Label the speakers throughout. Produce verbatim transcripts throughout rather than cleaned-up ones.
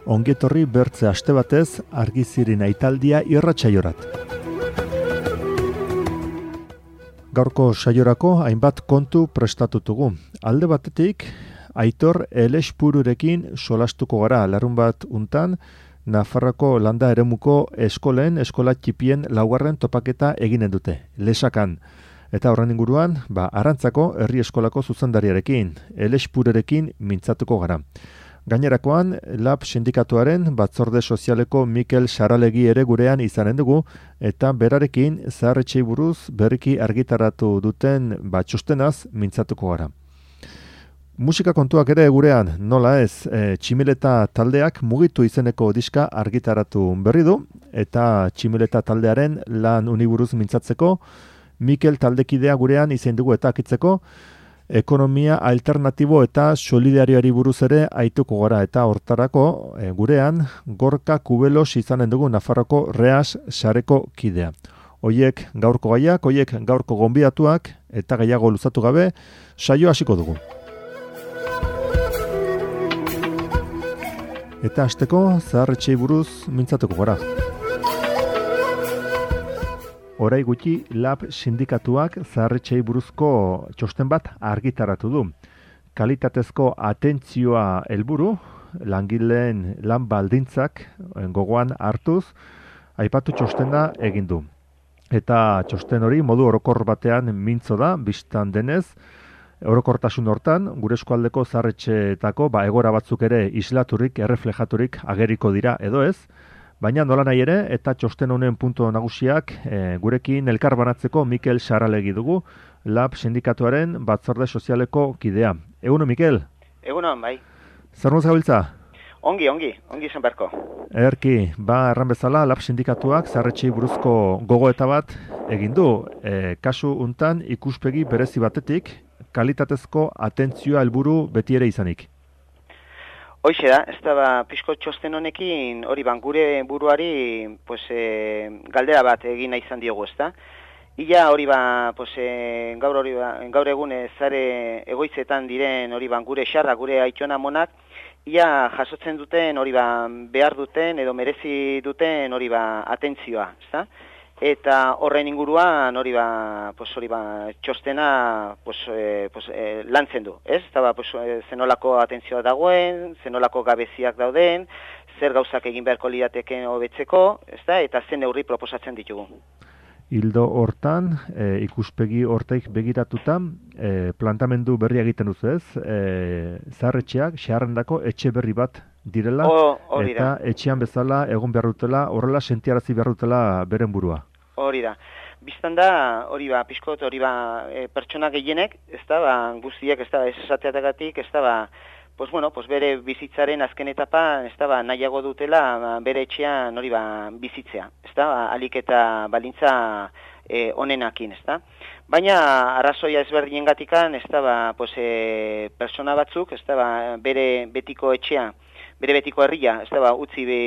Speaker 1: Ongietorri bertze aste batez argizirin aitaldia irratsaiorat. Gaurko saiorako hainbat kontu prestatutugu. Alde batetik, Aitor Elespururekin solastuko gara larun bat untan, Nafarroko landa eremuko eskolen, eskola txipien laugarren topaketa eginen dute, Lesakan. Eta horren inguruan, ba, Arantzako herri eskolako zuzendariarekin, Elespururekin mintzatuko gara. Gainerakoan, Lab sindikatuaren batzorde sozialeko Mikel Saralegi ere gurean izanen dugu, eta berarekin zaharretxei buruz berriki argitaratu duten batxustenaz mintzatuko gara. Musika kontuak ere gurean, nola ez, e, Tximeleta taldeak mugitu izeneko diska argitaratu berri du, eta Tximeleta taldearen lan uniburuz mintzatzeko, Mikel taldekidea gurean izen dugu eta akitzeko, ekonomia alternatibo eta solidarioari buruz ere aituko gara eta hortarako e, gurean Gorka Kubelos izanen dugu Nafarroko Reas sareko kidea. Hoiek gaurko gaiak, hoiek gaurko gonbidatuak eta gehiago luzatu gabe saio hasiko dugu. Eta hasteko zaharretxei buruz mintzatuko gara. Orai gutxi Lab sindikatuak zaharretxei buruzko txosten bat argitaratu du. Kalitatezko atentzioa helburu, langileen lan baldintzak gogoan hartuz, aipatu txostena egin du. Eta txosten hori modu orokor batean mintzo da, bistan denez, orokortasun hortan, gure eskualdeko zaharretxeetako ba, egora batzuk ere islaturik, erreflejaturik ageriko dira edo ez, baina nola nahi ere, eta txosten honen punto nagusiak e, gurekin elkar banatzeko Mikel Saralegi dugu, Lab sindikatuaren batzorde sozialeko kidea. Eguno, Mikel?
Speaker 2: Egunon, bai.
Speaker 1: Zer nuz gabiltza?
Speaker 2: Ongi, ongi, ongi zen berko.
Speaker 1: Erki, ba, erran bezala, Lab sindikatuak zaharretxei buruzko gogoeta bat egin du. E, kasu untan ikuspegi berezi batetik, kalitatezko atentzioa helburu beti ere izanik.
Speaker 2: Hoixe da, ez da ba, pixko txosten honekin, hori ban, gure buruari pues, e, galdera bat egin nahi izan diogu, ez da? Ia hori ba, pues, e, gaur, hori ba, gaur egun zare egoitzetan diren hori ban, gure xarra, gure aitxona monak, ia jasotzen duten hori ba, behar duten edo merezi duten hori ba, atentzioa, ez da? Eta horren inguruan hori ba, pues hori ba, txostena pues, eh, pues, eh, lantzen du, ez? Eta ba, pues, eh, zenolako atentzioa dagoen, zenolako gabeziak dauden, zer gauzak egin beharko lirateken hobetzeko, ez da? Eta zen neurri proposatzen ditugu.
Speaker 1: Hildo hortan, e, ikuspegi hortaik begiratuta, e, plantamendu berria egiten duzu ez, e, zaharretxeak, xeharrendako etxe berri bat direla,
Speaker 2: o,
Speaker 1: eta etxean bezala egon behar dutela, horrela sentiarazi behar dutela beren burua.
Speaker 2: Hori da. Biztan da, hori ba, pixkot, hori ba, e, pertsona gehienek, ez da, ba, guztiek, ez da, ez esateatagatik, ez da, ba, pues bueno, pues bere bizitzaren azken etapa, ez da, ba, nahiago dutela, ba, bere etxean hori ba, bizitzea, ez da, ba, alik eta balintza e, onenakin, ez da. Baina, arrazoia ezberdinen gatikan, ez da, ba, pues, e, persona batzuk, ez da, ba, bere betiko etxea, bere betiko herria, ez da, ba, utzi be,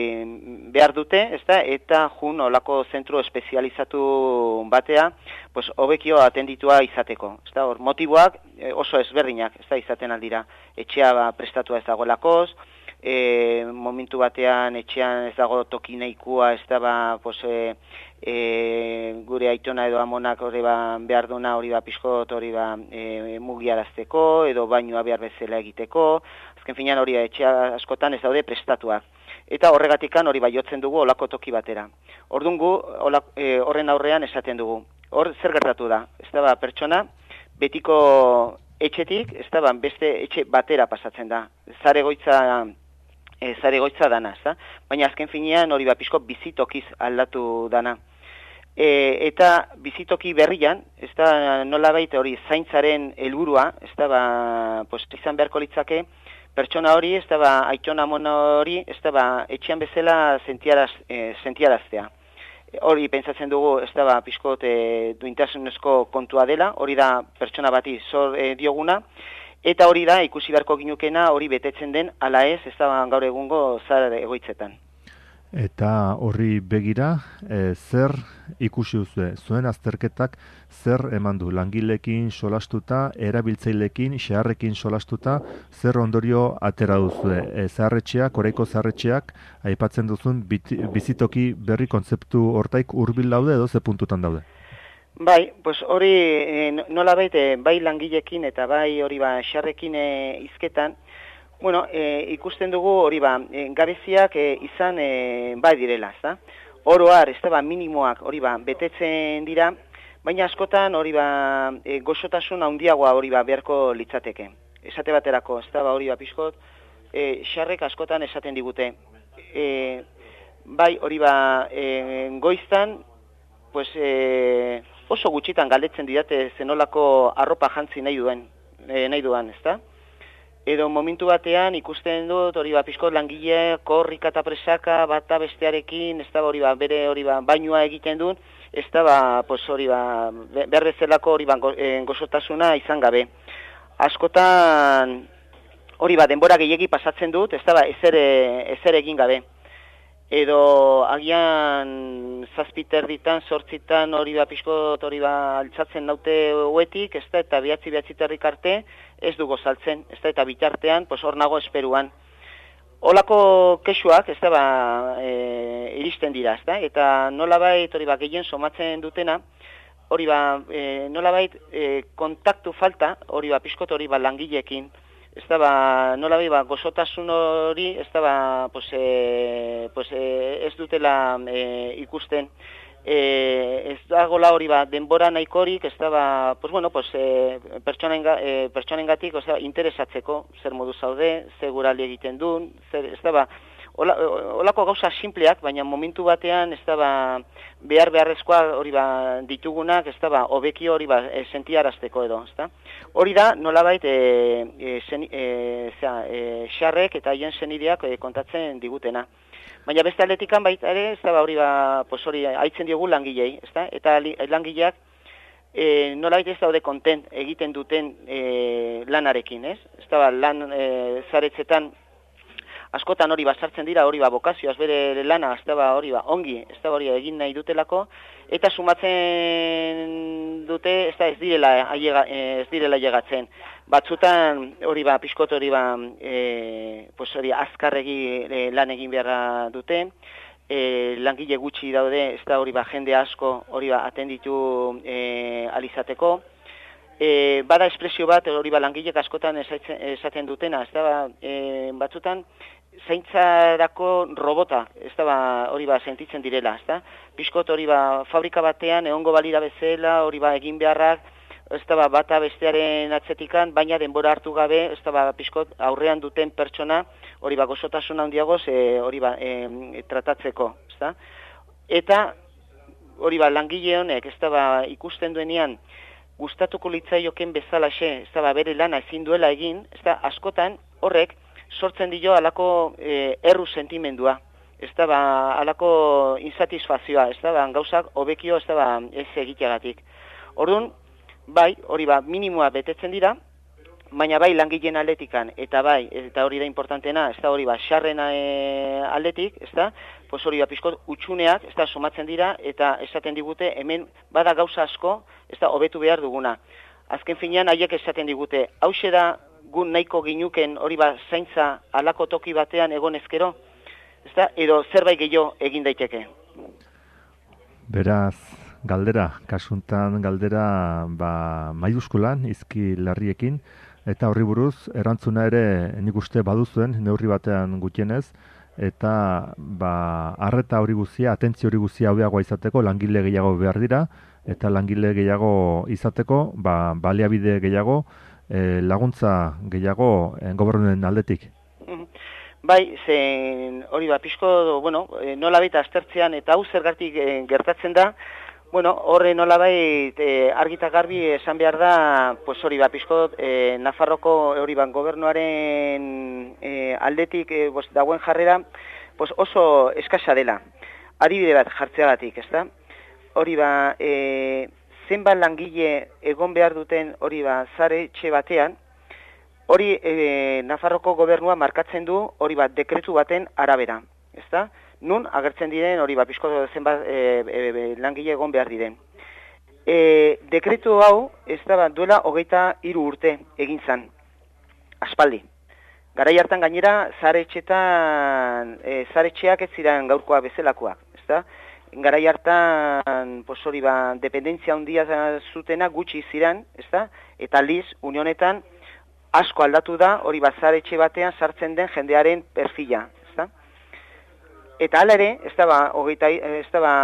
Speaker 2: behar dute, ez da, eta jun olako zentro espezializatu batea, pues, hobekio atenditua izateko. Ez da, hor, motiboak oso ezberdinak, ez da, izaten aldira. Etxea ba, prestatua ez dagoelakoz, e, momentu batean etxean ez dago toki nahikoa, ez da, ba, pues, e, e, gure aitona edo amonak hori ba, behar duna hori ba, pixkot hori ba, e, mugiarazteko, edo bainua behar bezala egiteko, azken finean hori etxea askotan ez daude prestatuak. Eta horregatikan hori bai jotzen dugu olako toki batera. Ordungu e, horren aurrean esaten dugu. Hor zer gertatu da? Ez da ba, pertsona betiko etxetik, ez da ba, beste etxe batera pasatzen da. Zaregoitza e, zaregoitza dana, ez da? Baina azken finean hori ba, pixko bizitokiz aldatu dana. E, eta bizitoki berrian, ez da nolabait hori zaintzaren helburua, ez da ba, pues, izan beharko litzake, pertsona hori, ez da ba, aitona mona hori, ez da ba, etxean bezala sentiaraz, e, sentiaraztea. Hori pentsatzen dugu, ez da ba, pixkot e, duintasunezko kontua dela, hori da pertsona bati zor e, dioguna, eta hori da ikusi beharko ginukena hori betetzen den ala ez, ez da ba, gaur egungo zahar egoitzetan.
Speaker 1: Eta horri begira, e, zer ikusi duzue? Zuen azterketak zer eman du? Langileekin solastuta, erabiltzaileekin, xeharrekin solastuta, zer ondorio atera duzue? E, zaharretxeak, oraiko zaharretxeak, aipatzen duzun biti, bizitoki berri kontzeptu hortaik hurbil daude edo ze puntutan daude?
Speaker 2: Bai, pues hori e, nola baite, bai langileekin eta bai hori ba xeharrekin e, izketan, bueno, e, ikusten dugu hori ba, e, gabeziak e, izan e, bai direla, ezta? Oroar, ez da ba, minimoak hori ba, betetzen dira, baina askotan hori ba, e, gozotasun handiagoa hori ba, beharko litzateke. Esate baterako, ez da ba, hori ba, pixkot, e, xarrek askotan esaten digute. E, bai, hori ba, e, goiztan, pues, e, oso gutxitan galdetzen didate zenolako arropa jantzi nahi duen, e, nahi duan, ez da? Edo momentu batean ikusten dut hori ba pixko langile korrika eta presaka bata bestearekin, ez da hori ba bere hori ba bainua egiten dut, ez da ba pues hori ba behar bezalako hori ba gozotasuna izan gabe. Askotan hori ba denbora gehiegi pasatzen dut, ez da ba ezer ezer egin gabe. Edo agian zazpiter ditan, sortzitan hori ba pixkot hori ba altzatzen naute huetik, ez da, eta bihatzi bihatziterrik arte ez dugu saltzen, ez da, eta bitartean, pues hor nago esperuan. Olako kexuak, ez da, ba, e, iristen dira, ez da, eta nolabait hori ba gehien somatzen dutena, hori ba, e, nolabait e, kontaktu falta, hori ba pixkot hori ba langileekin, ez da, ba, nola ba, gozotasun hori, ez da, ba, pues, e, pues, e, ez dutela e, ikusten. E, ez dagoela hori, ba, denbora nahikorik, ez da, ba, pues, bueno, pues, e, pertsonenga, e, pertsonengatik, o sea, interesatzeko, zer modu zaude, zer guraldi egiten duen, zer, ez da, ba, Ola, olako gauza simpleak, baina momentu batean ez da ba, behar beharrezkoa hori ba, ditugunak, ez da ba, hobeki hori ba, e, sentiarazteko edo, ez da. Hori da, nolabait, e, e, zen, e, zera, e, xarrek eta hien senideak e, kontatzen digutena. Baina beste atletikan baita ere, ez da ba, hori ba, pues hori haitzen diogu langilei, ez da, eta langileak e, nolabait ez daude kontent egiten duten e, lanarekin, ez? Ez da ba, lan e, zaretzetan, askotan hori basartzen dira, hori ba bokazioaz bere lana, ez da ba hori ba ongi, ez da hori egin nahi dutelako, eta sumatzen dute, ez da ez direla, aiega, ez direla llegatzen. Batzutan hori ba pixkot hori ba, e, pues hori azkarregi e, lan egin beharra dute, e, langile gutxi daude, ez da hori ba jende asko hori ba atenditu e, alizateko. E, bada espresio bat, hori ba langilek askotan esaten, esaten dutena, ez da ba, e, batzutan zaintzarako robota, ez da ba, hori ba sentitzen direla, ez da? Piskot hori ba fabrika batean egongo balira bezala, hori ba egin beharrak, ez da ba bata bestearen atzetikan, baina denbora hartu gabe, ez da ba piskot aurrean duten pertsona, hori ba gozotasuna handiagoz, e, hori ba e, tratatzeko, ez da? Eta hori ba langile honek, ez da ba ikusten duenean, gustatuko litzaioken bezalaxe, ez da ba, bere lana ezin duela egin, ez da, askotan horrek sortzen dio alako e, erru sentimendua, ez da ba, alako insatisfazioa, ez da ba, gauzak hobekio, ez da ba, ez egiteagatik. Orduan, bai, hori ba, minimoa betetzen dira, baina bai langileen aldetikan, eta bai, eta hori da importantena, ez da hori ba, xarren e, aldetik, ez da, pues hori ba, pixkot utxuneak, ez da, somatzen dira, eta esaten digute, hemen bada gauza asko, ez da, hobetu behar duguna. Azken finean, haiek esaten digute, hauxe da, gun nahiko ginuken hori ba, zaintza alako toki batean egon ezkero, ez da, edo zerbait gehiago egin daiteke.
Speaker 1: Beraz, galdera, kasuntan galdera ba, maiuskulan, izki larriekin, eta horri buruz, erantzuna ere nik uste baduzuen, neurri batean gutienez, eta ba, arreta hori guzia, atentzio hori guzia hobeagoa izateko, langile gehiago behar dira, eta langile gehiago izateko, ba, baliabide gehiago, e, laguntza gehiago e, gobernuen aldetik.
Speaker 2: Bai, zen hori ba, pixko, bueno, nolabait aztertzean, eta hau zergatik e, gertatzen da, bueno, horre nolabait e, argita garbi esan behar da, pues hori ba, pixko, e, Nafarroko hori ba, gobernuaren e, aldetik e, bos, dagoen jarrera, pues oso eskasa dela. Adibide bat jartzeagatik, ez da? Hori ba, e, zenbat langile egon behar duten hori ba, zare etxe batean, hori e, Nafarroko gobernua markatzen du hori bat dekretu baten arabera, ezta? nun agertzen diren hori ba pizko zenbat e, e, langile egon behar diren. E, dekretu hau ez da duela hogeita hiru urte egin zan, aspaldi. Garai hartan gainera zaretxetan, e, zaretxeak ez ziren gaurkoa bezalakoak, ezta? Garai hartan, pues hori ba, dependentzia handia zutena gutxi ziren, ezta? Eta aldiz, unionetan asko aldatu da, hori ba, zaretxe batean sartzen den jendearen perfila, ezta? Eta hala ere, ez da ba, hogeita, ez da ba,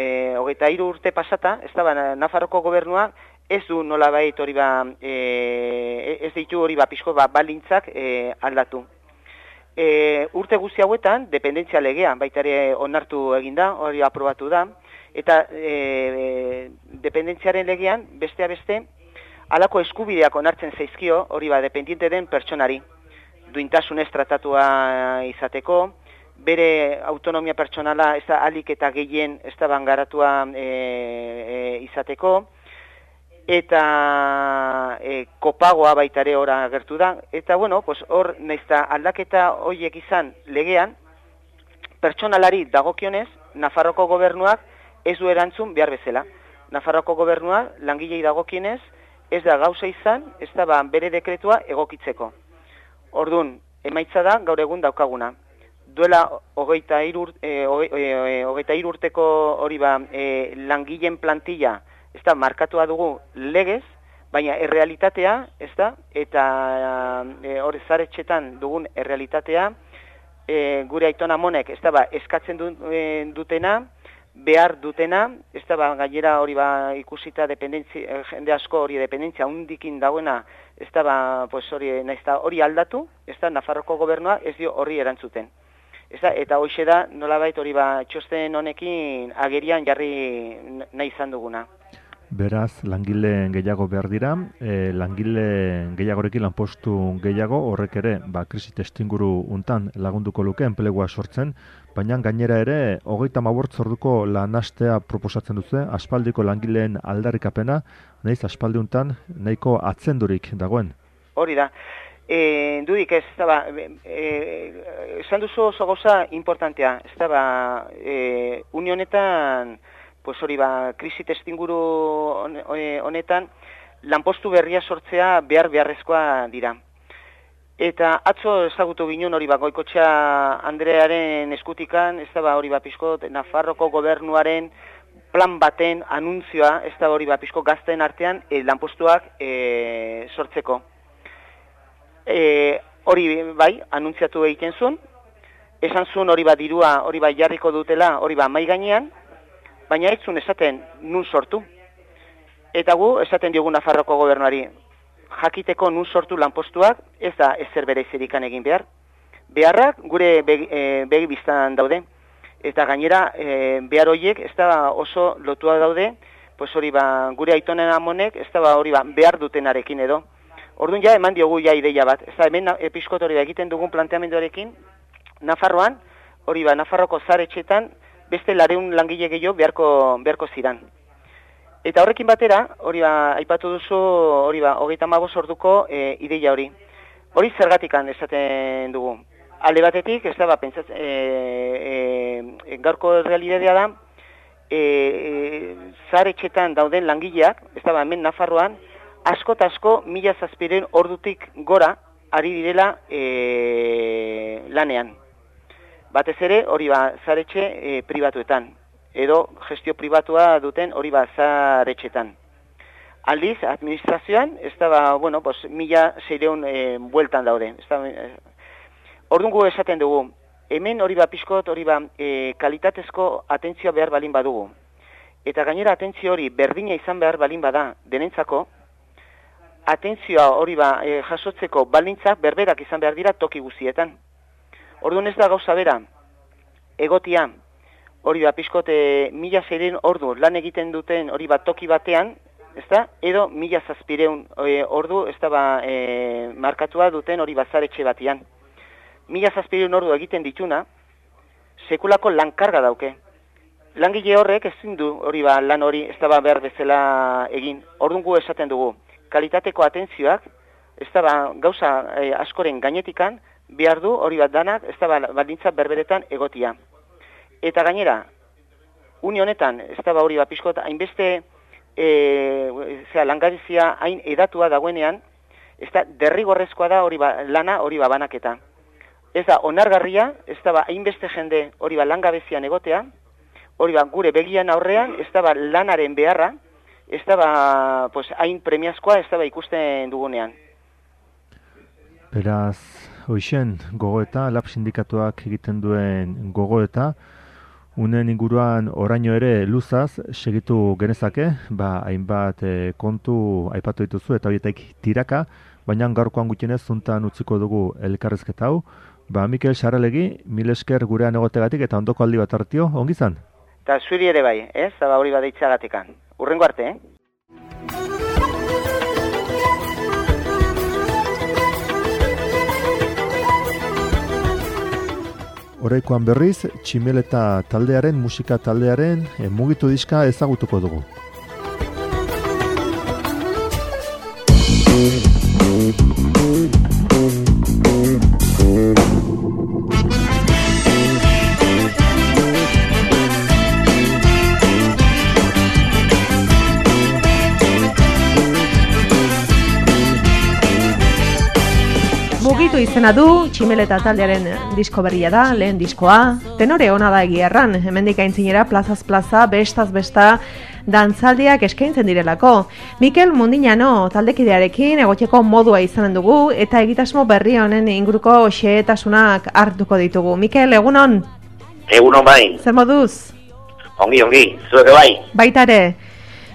Speaker 2: e, hogeita hiru urte pasata, ez da ba, Nafarroko gobernuak ez du nolabait hori ba, e, ez ditu hori ba, pixko ba, balintzak e, aldatu. E, urte guzti hauetan, dependentzia legea, baita ere onartu eginda, hori aprobatu da, eta e, dependentziaren legean, bestea beste, halako eskubideak onartzen zaizkio, hori ba, dependiente den pertsonari, duintasunez tratatua izateko, bere autonomia pertsonala ez da alik eta gehien ez da bangaratua e, e, izateko, eta e, kopagoa baita ere ora agertu da, eta bueno, pues hor naizta aldaketa horiek izan legean, pertsonalari dagokionez, Nafarroko gobernuak ez du erantzun behar bezala. Nafarroko gobernuak langilei dagokionez ez da gauza izan, ez da ba, bere dekretua egokitzeko. Ordun, emaitza da gaur egun daukaguna. Duela hogeita hiru e, e, urteko hori ba, e, langileen plantilla ez da markatua dugu legez, baina errealitatea, ez da, eta e, hori zaretxetan dugun errealitatea, e, gure aitona monek ez da ba, eskatzen du, e, dutena, behar dutena, ez da ba, gainera hori ba, ikusita dependentzia, jende asko hori dependentzia undikin dagoena, ez da ba, pues hori, naizta hori aldatu, ez da Nafarroko gobernua ez dio horri erantzuten. Eza, eta hoxe da, nolabait hori ba, txosten honekin agerian jarri nahi izan duguna.
Speaker 1: Beraz, langile gehiago behar dira, e, langile gehiagorekin lanpostu gehiago, horrek ere, ba, krisi testinguru untan lagunduko luke enplegua sortzen, baina gainera ere, hogeita hamabost orduko lanastea proposatzen duzu, aspaldiko langileen aldarrikapena, nahiz aspaldi untan nahiko atzendurik dagoen.
Speaker 2: Hori da. E, dudik ez, ez da ba, e, esan duzu oso gauza importantea, ez da ba, e, unionetan, pues hori ba, krisi testinguru honetan, lanpostu berria sortzea behar beharrezkoa dira. Eta atzo ezagutu ginen hori ba, Goikotxea Andrearen eskutikan, ez da ba, hori ba, pixko Nafarroko gobernuaren plan baten anuntzioa, ez da hori ba, pixko gazten artean, e, lanpostuak e, sortzeko. E, hori bai, anuntziatu egiten zuen, esan zuen hori ba dirua, hori ba jarriko dutela, hori ba mai gainean, baina ez zuen esaten nun sortu. Eta gu esaten diogu Nafarroko gobernuari, jakiteko nun sortu lanpostuak, ez da ezer bere zerikan egin behar. Beharrak gure begi, e, begi biztan daude, eta gainera e, behar horiek ez da oso lotua daude, pues hori ba gure aitonen amonek ez da ba, hori ba behar dutenarekin edo. Orduan ja eman diogu ja ideia bat. Ez da hemen episkot hori da egiten dugun planteamenduarekin, Nafarroan, hori ba Nafarroko zaretxetan, beste lareun langile gehiago beharko, beharko ziran. Eta horrekin batera, hori ba, aipatu duzu, hori ba, hogeita hamabost orduko e, ideia hori. Hori zergatikan esaten dugu. Alde batetik, ez da ba, pentsat, e, e, gaurko realitatea da, e, e, zaretxetan dauden langileak, ez da ba, hemen Nafarroan, asko eta asko mila zazpiren ordutik gora ari direla e, lanean. Batez ere hori ba zaretxe e, pribatuetan, edo gestio pribatua duten hori ba zaretxetan. Aldiz, administrazioan, ez da ba, bueno, pues, mila seireun e, bueltan daude. Ez da, e, ordungu esaten dugu, hemen hori ba pixkot, hori ba e, kalitatezko atentzioa behar balin badugu. Eta gainera atentzio hori berdina izan behar balin bada denentzako, atentzioa hori ba, e, jasotzeko baldintzak berberak izan behar dira toki guztietan. Orduan ez da gauza bera, egotia, hori ba, pixkote mila zeiren ordu lan egiten duten hori ba toki batean, ez da, edo mila zazpireun e, ordu, ez da ba, e, markatua duten hori bazaretxe batean. Mila zazpireun ordu egiten dituna, sekulako lankarga dauke. Langile horrek ezin du hori ba lan hori ez da ba behar bezala egin. Orduan gu esaten dugu, kalitateko atentzioak, ez da ba, gauza e, askoren gainetikan, behar du hori bat danak, ez da ba, baldintza berberetan egotia. eta gainera, une honetan, ez da hori ba, pixkot, hainbeste, e, zera, langabezia hain edatua dagoenean, ez da, derrigorrezkoa da hori ba, lana hori ba, banaketa. Ez da, onargarria, ez da, ba, hainbeste jende hori ba, langabezian egotea, hori ba, gure begian aurrean, ez da, ba, lanaren beharra, ez da, ba, pues, hain premiazkoa, ez da, ba, ikusten dugunean.
Speaker 1: Beraz, hoixen, gogoeta, lab sindikatuak egiten duen gogoeta, unen inguruan oraino ere luzaz segitu genezake, ba, hainbat e, kontu aipatu dituzu eta horietak tiraka, baina gaurkoan gutxienez zuntan utziko dugu elkarrezketa hau. Ba, Mikel Sarralegi, mil esker gurean egotegatik eta ondoko aldi bat hartio, ongi zan?
Speaker 2: Eta zuri ere bai, ez? Zaba hori badeitzagatekan. Urrengo arte, eh?
Speaker 1: Oraikoan berriz, Tximeleta taldearen, musika taldearen, e, mugitu diska ezagutuko dugu.
Speaker 3: Mugitu izena du, Tximeleta taldearen disko berria da, lehen diskoa. Tenore ona da egia erran, hemendik aintzinera plazaz plaza, bestaz besta, dantzaldiak eskaintzen direlako. Mikel Mundinano taldekidearekin egoteko modua izanen dugu, eta egitasmo berri honen inguruko xehetasunak hartuko ditugu. Mikel, egunon?
Speaker 4: Egunon bai.
Speaker 3: Zer moduz?
Speaker 4: Ongi, ongi, zueke bai.
Speaker 3: Baitare.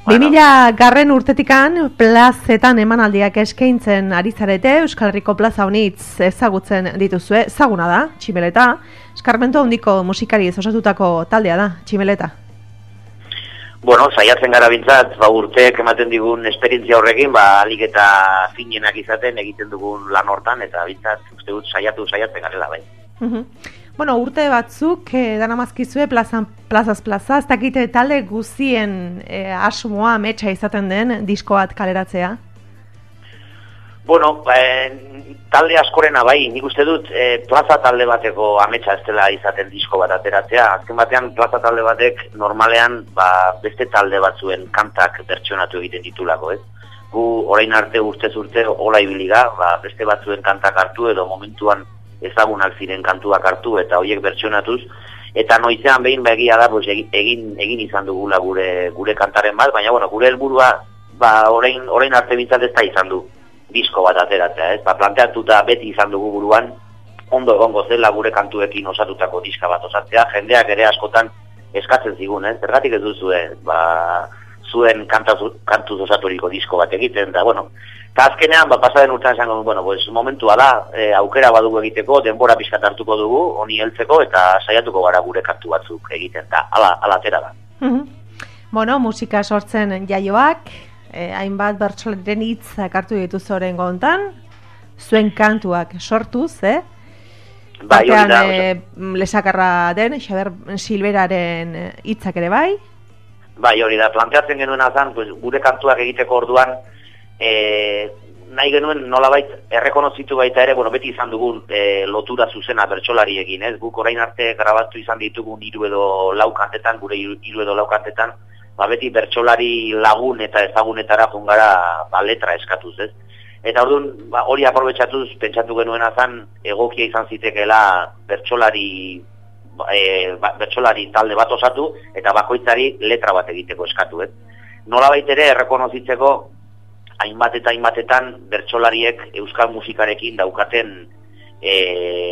Speaker 3: Bueno. bi mila garren urtetikan plazetan emanaldiak eskaintzen ari zarete, Euskal Herriko plaza honitz ezagutzen dituzue, ezaguna da, Tximeleta, eskarmentu handiko musikari osatutako taldea da, Tximeleta.
Speaker 4: Bueno, saiatzen gara bintzat, ba, urteek ematen digun esperientzia horrekin, ba, alik eta finenak izaten egiten dugun lan hortan, eta bintzat, uste dut, saiatu, saiatzen garela bai.
Speaker 3: Uh-huh. Bueno, urte batzuk eh, danamazkizue plazan, plazaz plaza, ez dakite talde guzien eh, asmoa metxa izaten den disko bat kaleratzea?
Speaker 4: Bueno, eh, talde askorena bai, nik uste dut eh, plaza talde bateko ametsa ez dela izaten disko bat ateratzea. Azken batean plaza talde batek normalean ba, beste talde batzuen kantak bertsionatu egiten ditulako, ez? Gu orain arte urtez urte hola ibiliga, ba, beste batzuen kantak hartu edo momentuan ezagunak ziren kantuak hartu eta horiek bertsionatuz, eta noizean behin begia da pues, egin egin izan dugula gure gure kantaren bat, baina bueno, gure helburua ba orain orain arte bintzat ez da izan du disko bat ateratzea, ez? Ba planteatuta beti izan dugu buruan ondo egongo zela gure kantuekin osatutako diska bat osatzea, jendeak ere askotan eskatzen zigun, ez? Zergatik ez duzue, ba zuen kantuz kantuz osaturiko disko bat egiten da, bueno, eta azkenean, ba, pasaden urtean esango, bueno, pues, momentua da, e, aukera badugu egiteko, denbora pixkat hartuko dugu, honi heltzeko, eta saiatuko gara gure kantu batzuk egiten, eta ala, ala atera da.
Speaker 3: Uh-huh. Bueno, musika sortzen jaioak, eh, hainbat bertsolariren hitzak hartu dituzu oraingo hontan, zuen kantuak sortuz, eh?
Speaker 4: Bai, hori da.
Speaker 3: E, lesakarra den, Xaber Silberaren hitzak ere bai?
Speaker 4: Bai, hori da, planteatzen genuen azan, pues, gure kantuak egiteko orduan, E, nahi genuen nolabait errekonozitu baita ere, bueno, beti izan dugun e, lotura zuzena bertsolariekin, ez? Guk orain arte grabatu izan ditugun hiru edo lau kantetan, gure hiru edo lau kantetan, ba beti bertsolari lagun eta ezagunetara jungara ba letra eskatuz, ez? Eta orduan, ba, hori aprobetxatuz pentsatu genuen azan egokia izan zitekeela bertsolari e, ba, bertsolari talde bat osatu eta bakoitzari letra bat egiteko eskatu, ez? Nolabait ere errekonozitzeko hainbat eta hainbatetan bertsolariek euskal musikarekin daukaten e,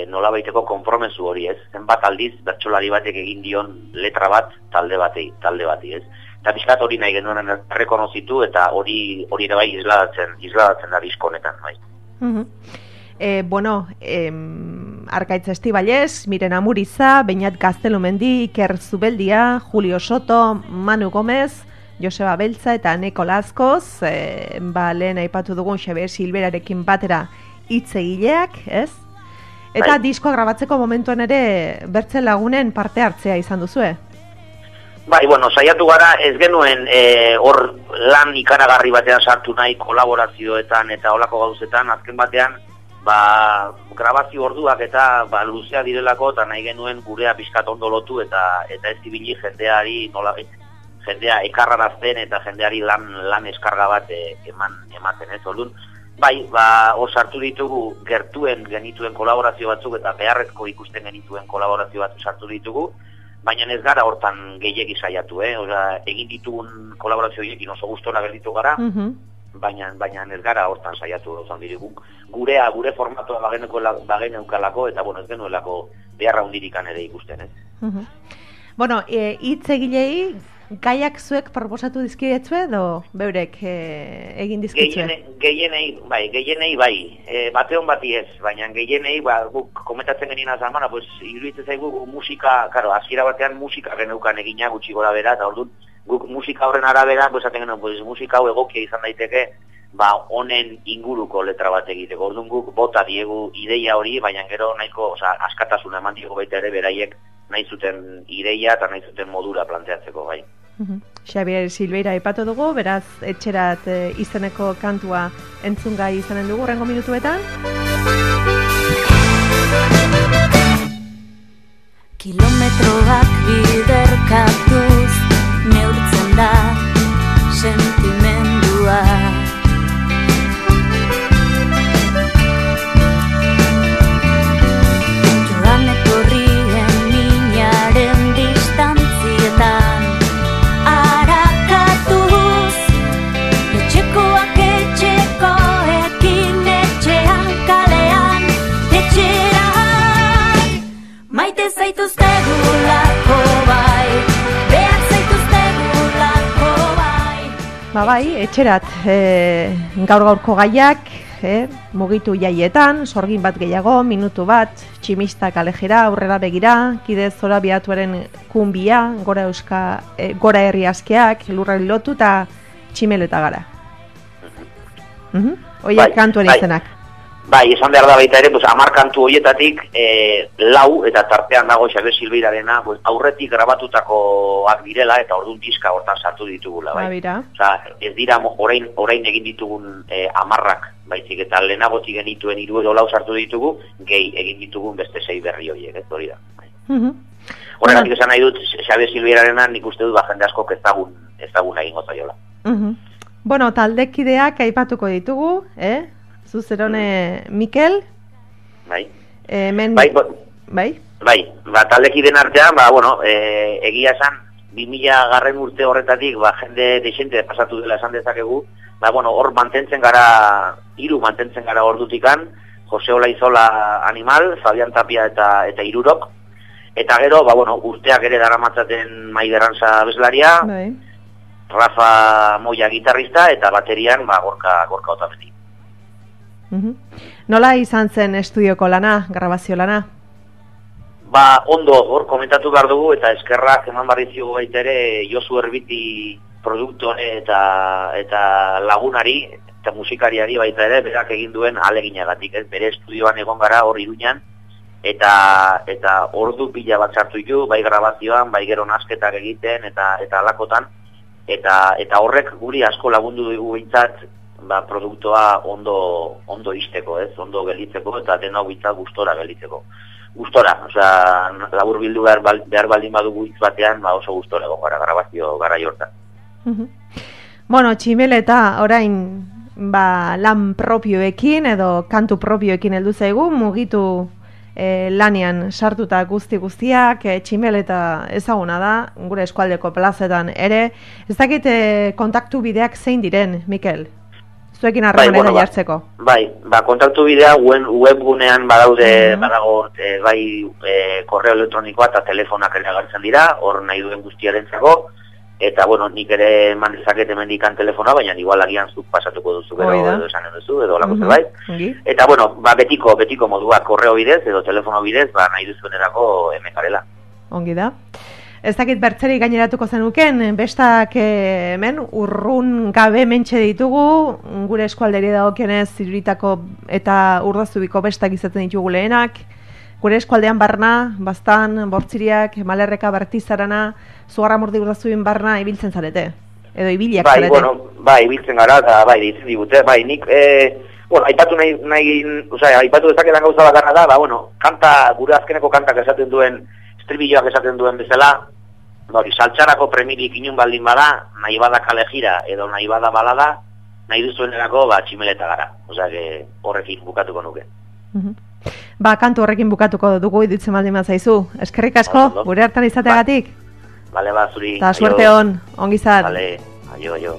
Speaker 4: nolabaiteko konpromesu hori, ez? Zenbat aldiz bertsolari batek egin dion letra bat talde batei, talde bati, ez? Eta pixkat hori nahi genuen errekonozitu eta hori hori ere bai isladatzen, isladatzen da disko honetan, bai.
Speaker 3: Uh-huh. Eh, bueno, eh, Arkaitz Estibalez, Miren Amuriza, Beñat Gaztelumendi, Iker Zubeldia, Julio Soto, Manu Gomez, Joseba Beltza eta Neko Lazkoz, e, ba, lehen aipatu dugun Xaber Silberarekin batera hitz egileak, ez? Eta bai. Diskoa grabatzeko momentuan ere bertze lagunen parte hartzea izan duzue?
Speaker 4: Bai, bueno, saiatu gara ez genuen hor e, lan ikaragarri batean sartu nahi kolaborazioetan eta olako gauzetan, azken batean ba, grabazio orduak eta ba, luzea direlako, eta nahi genuen gurea pixkat ondo lotu, eta eta ez ibili jendeari nola, jendea ekarrarazten eta jendeari lan, lan eskarga bat e, eman, ematen, ez, orduan. Bai, ba, hor sartu ditugu gertuen genituen kolaborazio batzuk eta beharrezko ikusten genituen kolaborazio batzuk sartu ditugu, baina ez gara hortan gehiegi saiatu, eh? Osa, egin ditugun kolaborazio horiekin oso gustora gelditu gara, uh-huh. baina, baina ez gara hortan saiatu ozan dirigu. Gurea, gure formatoa bageneukalako eta bueno, ez genuelako beharra hundirikan ere ikusten, ez?
Speaker 3: Uh-huh. Bueno, hitz e, egilei gaiak zuek proposatu dizkidetzue edo beurek e, egin dizkitzue?
Speaker 4: Gehienei, bai, gehienei bai. E, bateon bati ez, baina gehienei, ba, guk komentatzen genien azamana, pues, iruditzen zaigu musika, karo, hasiera batean musika geneukan egina gutxi gora bera, eta orduan, guk musika horren arabera, pues, aten genuen, pues, musika hau egokia izan daiteke, ba, honen inguruko letra bat egiteko. Orduan guk bota diegu ideia hori, baina gero nahiko, oza, askatasuna eman diego baita ere beraiek nahi zuten ideia eta nahi zuten modura planteatzeko, bai.
Speaker 3: Uh-huh. Xabier Silveira aipatu dugu, beraz etxerat e, izeneko kantua entzungai izanen dugu rengo minutuetan.
Speaker 5: Kilometroak biderkatuz neurtzen da sentimendua. Joan etorrien minaren distantzietan arakatuz, etxekoak etxekoekin etxean kalean etxeran. Maite zaituztegulako bai, behar zaituztegulako bai.
Speaker 3: Ba bai, etxerat e, gaur-gaurko gaiak, e, mugitu jaietan, sorgin bat gehiago, minutu bat, tximista kalejera, aurrera begira, kide zora biatuaren kunbia, gora euska, e, gora herri askeak, lurra lotu eta tximeleta gara. Uh-huh. Oiak bai, kantuan
Speaker 4: bai.
Speaker 3: izenak.
Speaker 4: Bai, esan behar da baita ere, pues, amar kantu horietatik e, lau, eta tartean dago Xabier Silveirarena, pues, aurretik grabatutakoak direla, eta orduan diska hortan sartu ditugula, bai.
Speaker 3: Babira.
Speaker 4: Osa, ez dira orain, orain egin ditugun e, amarrak, baizik, eta lehenagotik genituen hiru edo lau sartu ditugu, gehi egin ditugun beste sei berri horiek, ez hori da.
Speaker 3: Uh-huh.
Speaker 4: Horregatik esan nahi dut, Xabier Silveirarena nik uste dut ba, jende asko ezagun, ezagun egin gozaiola.
Speaker 3: Uh-huh. Bueno, taldekideak aipatuko ditugu, eh? Zuzerone mm. Mikel.
Speaker 4: Bai.
Speaker 3: Eh, men...
Speaker 4: Bai, bo...
Speaker 3: bai.
Speaker 4: Bai, ba, taldekideen artean, ba, bueno, e, egia esan, bi mila garren urte horretatik, ba, jende desente pasatu dela esan dezakegu, ba, bueno, hor mantentzen gara, hiru mantentzen gara ordutikan, Jose Olaizola Animal, Fabian Tapia eta eta Irurok, eta gero, ba, bueno, urteak ere daramatzaten Maider Arantza abeslaria,
Speaker 3: bai.
Speaker 4: Rafa Moya gitarrista, eta baterian, ba, Gorka, Gorka Otamendi.
Speaker 3: Uh-huh. Nola izan zen estudioko lana, grabazio lana?
Speaker 4: Ba, ondo, hor komentatu behar dugu, eta eskerrak eman barrizio baita ere Josu Erbiti produktore eta, eta lagunari, eta musikariari baita ere, berak egin duen aleginagatik, ez? Bere estudioan egon gara hor Iruñan, eta eta ordu pila bat sartu ditu, bai grabazioan, bai gero nasketak egiten, eta eta alakotan, eta eta horrek guri asko lagundu dugu behintzat, ba, produktoa ondo ondo isteko, ez? Ondo gelditzeko eta dena bitza gustora gelditzeko. Gustora, osea, labur bildu behar, behar baldin badugu hitz batean, ba, oso gustora egon gara grabazio garai hortan.
Speaker 3: Uh-huh. Bueno, tximeleta orain ba, lan propioekin edo kantu propioekin heldu zaigu, mugitu e, lanean sartuta guzti guztiak, e, tximeleta ezaguna da, gure eskualdeko plazetan ere. Ez dakit e, kontaktu bideak zein diren, Mikel? Zuekin harremanera bai, bueno, jartzeko.
Speaker 4: Bai, ba, kontaktu bidea webgunean badaude, mm-hmm. badago, e, bai, e, korreo elektronikoa eta telefonak ere agertzen dira, hor nahi duen guztiarentzako, eta, bueno, nik ere eman dezaket hemendikan telefona, baina igual agian zuk pasatuko duzu, gero, edo esan duzu, edo lako mm-hmm. zerbait. Mm-hmm. Eta, bueno, ba, betiko, betiko modua, korreo bidez, edo telefono bidez, ba, nahi duzuenerako hemen garela.
Speaker 3: Ongi da. Ez dakit bertzeri gaineratuko zenuken, bestak hemen urrun gabe mentxe ditugu, gure eskualderi dagokionez Iruritako eta Urdazubiko bestak izaten ditugu lehenak, gure eskualdean barna, Baztan, Bortziriak, Malerreka, Bertizarana, Zugarramurdi Urdazubin barna ibiltzen zarete, edo ibiliak
Speaker 4: bai,
Speaker 3: zarete.
Speaker 4: Bueno, bai, ibiltzen gara, eta bai, ditzen digute, bai, nik e, Bueno, aipatu nahi, nahi osea, aipatu dezaketan gauza bakarra da, ba, bueno, kanta, gure azkeneko kantak esaten duen, estribilloak esaten duen bezala, ba, hori, saltxarako premirik inun baldin bada, nahi bada kale jira, edo nahi bada balada, nahi duzuenerako, ba, tximeleta gara. Osea, que horrekin bukatuko nuke.
Speaker 3: Mhm. Ba, kantu horrekin bukatuko dugu idutzen baldin mazaizu. Eskerrik asko, gure hartan izateagatik.
Speaker 4: Bale, ba, zuri.
Speaker 3: Ta suerte on, ongi zat.
Speaker 4: Bale, aio, aio.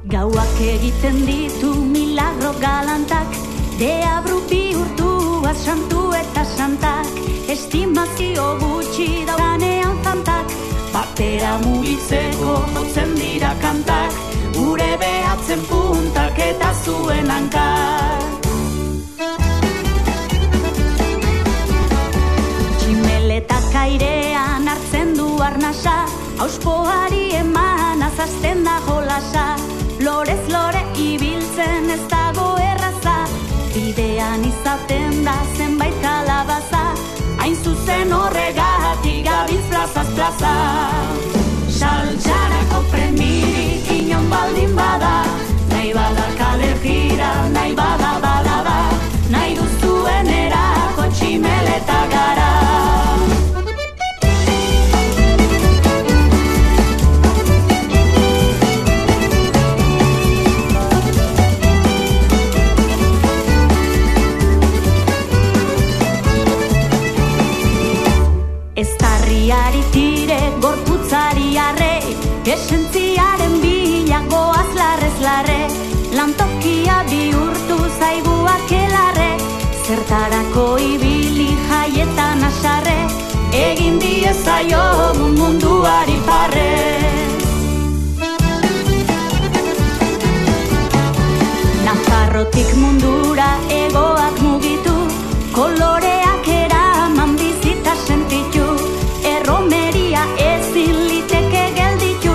Speaker 5: Gauak egiten ditu milagro galantak, deabru bihurtua santu eta santak, estimazio gutxi daudanean fantak, batera mugitzeko jotzen dira kantak, gure behatzen puntak eta zuen hankak. Tximeletak airean hartzen du arnasa, auspoari eman azazten da jolasa, lorez lore ibiltzen ez dago erraza, bidean izaten da zenbait kalabaza, hain zuzen horregatik gabiltz plazaz plaza. Saltxarako premirik inon baldin bada, nahi bada kale jira, nahi bada balada, nahi duzuenerako tximeleta gara. Estarriari tire, gorputzari arre, esentziaren bila goaz larrez larre, lantokia bihurtu zaigu akelarre, zertarako ibili jaietan asarre, egin diezaiogun munduari parre. Nafarrotik mundura egoak mugitu, koloreak eraman bizita sentitu, erromeria ezin liteke gelditu,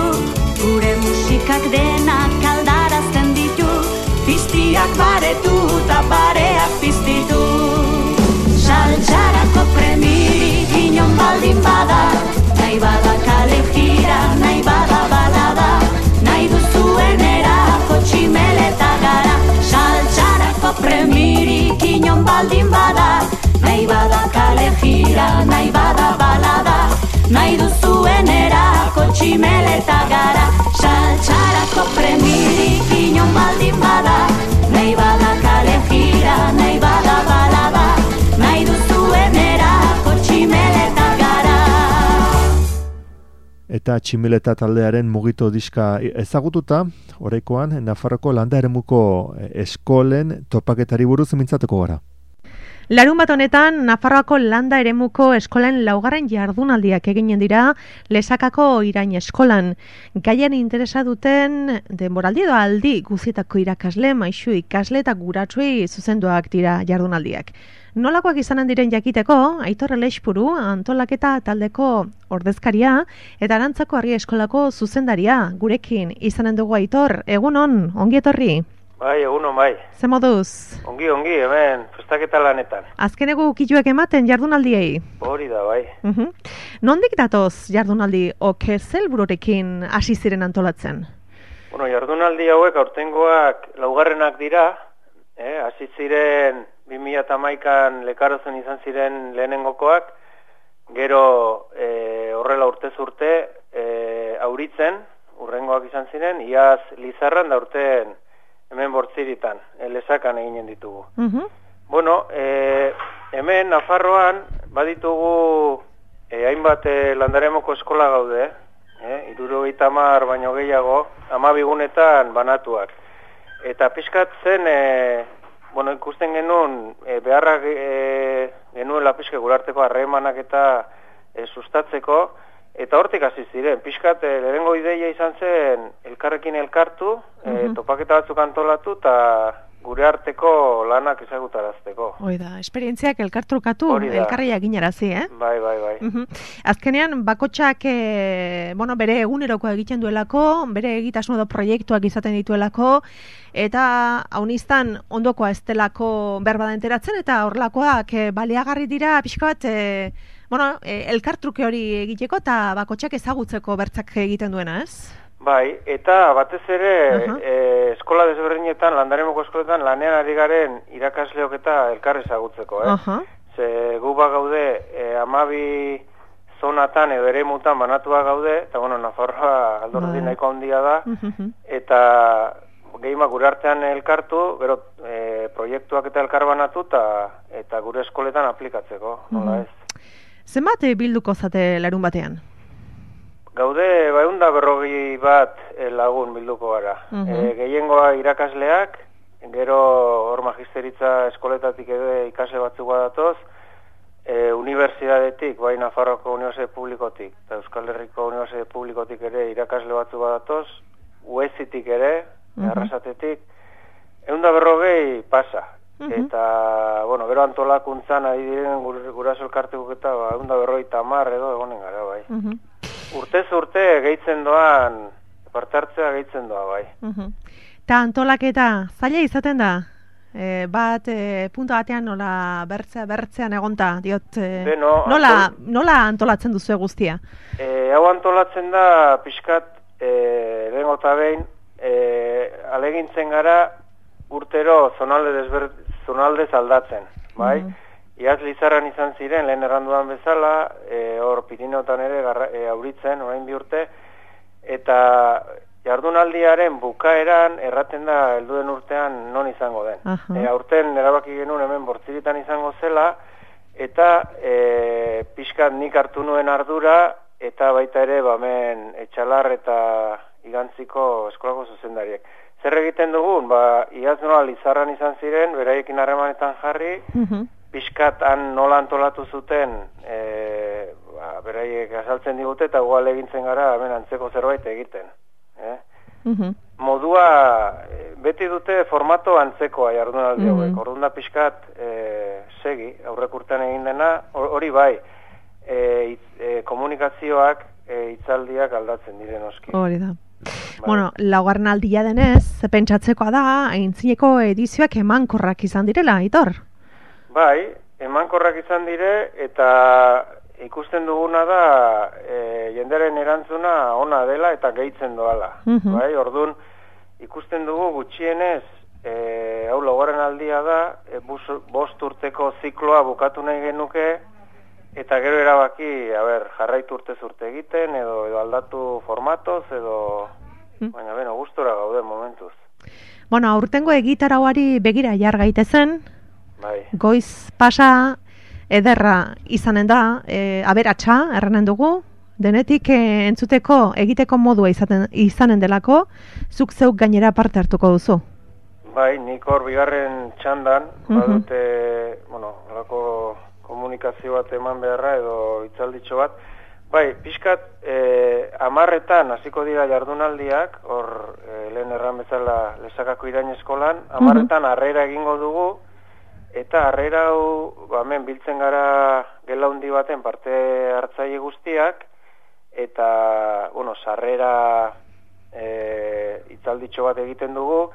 Speaker 5: gure musikak denak aldarazten ditu, piztiak baretu eta bareak piztitu. Saltxarako premirik inon baldin bada, nahi bada kale jira, nahi bada balada, nahi duzuenerako tximeleta gara. Saltxarako premirik inon baldin bada, nahi bada kale jira, nahi bada balada, nahi duzuenerako tximeleta gara. Saltxarako premirik inon baldin bada, nahi bada kale jira, nahi bada balada, nahi duzuenerako tximeleta gara.
Speaker 1: Eta tximeleta taldearen mugito diska ezagututa, oraikoan Nafarroko landa eremuko eskolen topaketari buruz mintzatuko gara.
Speaker 3: Larun bat honetan, Nafarroako landa eremuko eskolen laugarren jardunaldiak eginen dira Lesakako irain eskolan. Gaian interesa duten denboraldi edo aldi guzietako irakasle, maisu ikasle eta guratsuei zuzenduak dira jardunaldiak. Nolakoak izanen diren jakiteko, Aitor Elexpuru antolaketa taldeko ordezkaria eta Arantzako Argia eskolako zuzendaria gurekin izanen dugu. Aitor, egunon, ongi etorri.
Speaker 6: Bai, egunon bai.
Speaker 3: Ze moduz?
Speaker 6: Ongi, ongi, hemen, festaketa lanetan.
Speaker 3: Azkeneko ukituek ematen jardunaldiei?
Speaker 6: Hori da, bai.
Speaker 3: Uh-huh. Nondik datoz jardunaldi oke zelbururekin hasi ziren antolatzen?
Speaker 6: Bueno, jardunaldi hauek aurtengoak laugarrenak dira, eh, hasi ziren bi mila hamaikan Lekarozen izan ziren lehenengokoak, gero eh, horrela urtez urte eh, auritzen, urrengoak izan ziren, iaz Lizarran da urten hemen bortziritan, Lesakan eginen ditugu.
Speaker 3: Uh-huh.
Speaker 6: Bueno, e, hemen Nafarroan baditugu e, hainbat e, landaremoko eskola gaude, e, hirurogeita hamar baino gehiago, hamabigunetan banatuak. Eta pixkat zen, e, bueno, ikusten genuen e, beharrak e, genuela pixka gurarteko harremanak eta e, sustatzeko, eta hortik hasi ziren, pixkat e, lehenengo ideia izan zen elkarrekin elkartu, e, topaketa batzuk antolatu eta gure arteko lanak ezagutarazteko.
Speaker 3: Hoi da, esperientziak elkartrukatu, elkarri jakinarazi, eh?
Speaker 6: Bai, bai, bai.
Speaker 3: Uh-huh. Azkenean, bakotxak e, bueno, bere egunerokoa egiten duelako, bere egitasmo edo proiektuak izaten dituelako, eta haunistan ondokoa ez delako berbada enteratzen, eta horrelakoak e, baliagarri dira, pixka bat, e, bueno, e, elkartruke hori egiteko eta bakotxak ezagutzeko bertzak egiten duena, ez?
Speaker 6: Bai, eta batez ere
Speaker 3: Uh-huh.
Speaker 6: e, eskola desberdinetan, landaremoko eskoletan lanean ari garen irakasleok eta elkar ezagutzeko, eh?
Speaker 3: Uh-huh.
Speaker 6: Ze gu ba gaude e, amabi zonatan edo ere mutan banatua gaude, eta bueno, Nafarroa aldordi
Speaker 3: Bai.
Speaker 6: nahiko handia da,
Speaker 3: Uh-huh.
Speaker 6: eta gehima gure artean elkartu, gero e, proiektuak eta elkar banatu, ta, eta gure eskoletan aplikatzeko, nola
Speaker 3: Mhm.
Speaker 6: ez?
Speaker 3: Zenbat eh, bilduko zate larun batean?
Speaker 6: Gaude, baeunda berrogi bat eh, lagun bilduko gara.
Speaker 3: Mhm.
Speaker 6: Eh, gehiengoa irakasleak, gero hor magisteritza eskoletatik edo ikasle batzuk badatoz, e, unibertsitatetik, bai Nafarroko Unibertsitate Publikotik, eta Euskal Herriko Unibertsitate Publikotik ere irakasle batzuk badatoz, U E S-itik ere,
Speaker 3: Mhm.
Speaker 6: Arrasatetik, eunda berrogei pasa.
Speaker 3: Mhm.
Speaker 6: Eta, bueno, gero antolakuntzan ari diren gur, guraso elkartekuk eta ba, eunda berrogei tamar edo egonen gara, bai.
Speaker 3: Mhm.
Speaker 6: Urtez urte gehitzen doan, parte hartzea gehitzen doa, bai.
Speaker 3: Mhm. Ta antolaketa zaila izaten da? E, bat e, punto batean nola bertzea bertzean egonta diot e,
Speaker 6: Beno,
Speaker 3: nola,
Speaker 6: antol-
Speaker 3: nola antolatzen duzu guztia?
Speaker 6: E, hau antolatzen da pixkat e, lehengo eta behin e, alegintzen gara urtero zonalde desber, zonaldez aldatzen, bai?
Speaker 3: Mhm.
Speaker 6: Iaz Lizarran izan ziren, lehen erranduan bezala, e, hor Pirineotan ere garra, e, auritzen, orain bi urte, eta jardunaldiaren bukaeran erraten da helduen urtean non izango den.
Speaker 3: Aha.
Speaker 6: E, aurten erabaki genuen hemen Bortziritan izango zela, eta e, pixkat nik hartu nuen ardura, eta baita ere bamen Etxalar eta Igantziko eskolako zuzendariek. Zer egiten dugun? Ba, iaz nola Lizarran izan ziren, beraiekin harremanetan jarri,
Speaker 3: Mhm.
Speaker 6: pixkat han nola antolatu zuten, e, ba, beraiek azaltzen digute, eta gual egintzen gara hemen antzeko zerbait egiten. Eh?
Speaker 3: Mhm.
Speaker 6: Modua, e, beti dute formato antzekoa jardunaldi
Speaker 3: Mhm.
Speaker 6: hauek, orduan da pixkat e, segi, aurrek urtean egin dena, hori bai, e, itz, e, komunikazioak, e, hitzaldiak aldatzen diren oski.
Speaker 3: Hori da.
Speaker 6: Bai.
Speaker 3: Bueno, laugarren aldia denez, ze pentsatzekoa da, aintzineko edizioak emankorrak izan direla, Aitor?
Speaker 6: Bai, emankorrak izan dire, eta ikusten duguna da e, jenderen erantzuna ona dela eta gehitzen doala.
Speaker 3: Mhm.
Speaker 6: Bai, ordun ikusten dugu gutxienez, e, hau laugarren aldia da, e, bus, bost urteko zikloa bukatu nahi genuke, eta gero erabaki, a ber, jarraitu urtez urte egiten, edo, edo aldatu formatoz, edo,
Speaker 3: Mm.
Speaker 6: baina beno, gustora gaude momentuz.
Speaker 3: Bueno, aurtengo egitarauari begira jar gaitezen,
Speaker 6: Bai.
Speaker 3: goiz pasa ederra izanen da, e, aberatsa, erranen dugu, denetik e, entzuteko egiteko modua izaten, izanen delako, zuk zeuk gainera parte hartuko duzu.
Speaker 6: Bai, nik hor bigarren txandan,
Speaker 3: Mhm.
Speaker 6: badute, bueno, horako komunikazio bat eman beharra edo hitzalditxo bat. Bai, pixkat, e, amarretan hasiko dira jardunaldiak, hor e, lehen erran bezala Lesakako irain eskolan, amarretan harrera egingo dugu, eta harrera hau, ba, hemen biltzen gara gela handi baten parte hartzaile guztiak, eta, bueno, sarrera e, hitzalditxo bat egiten dugu,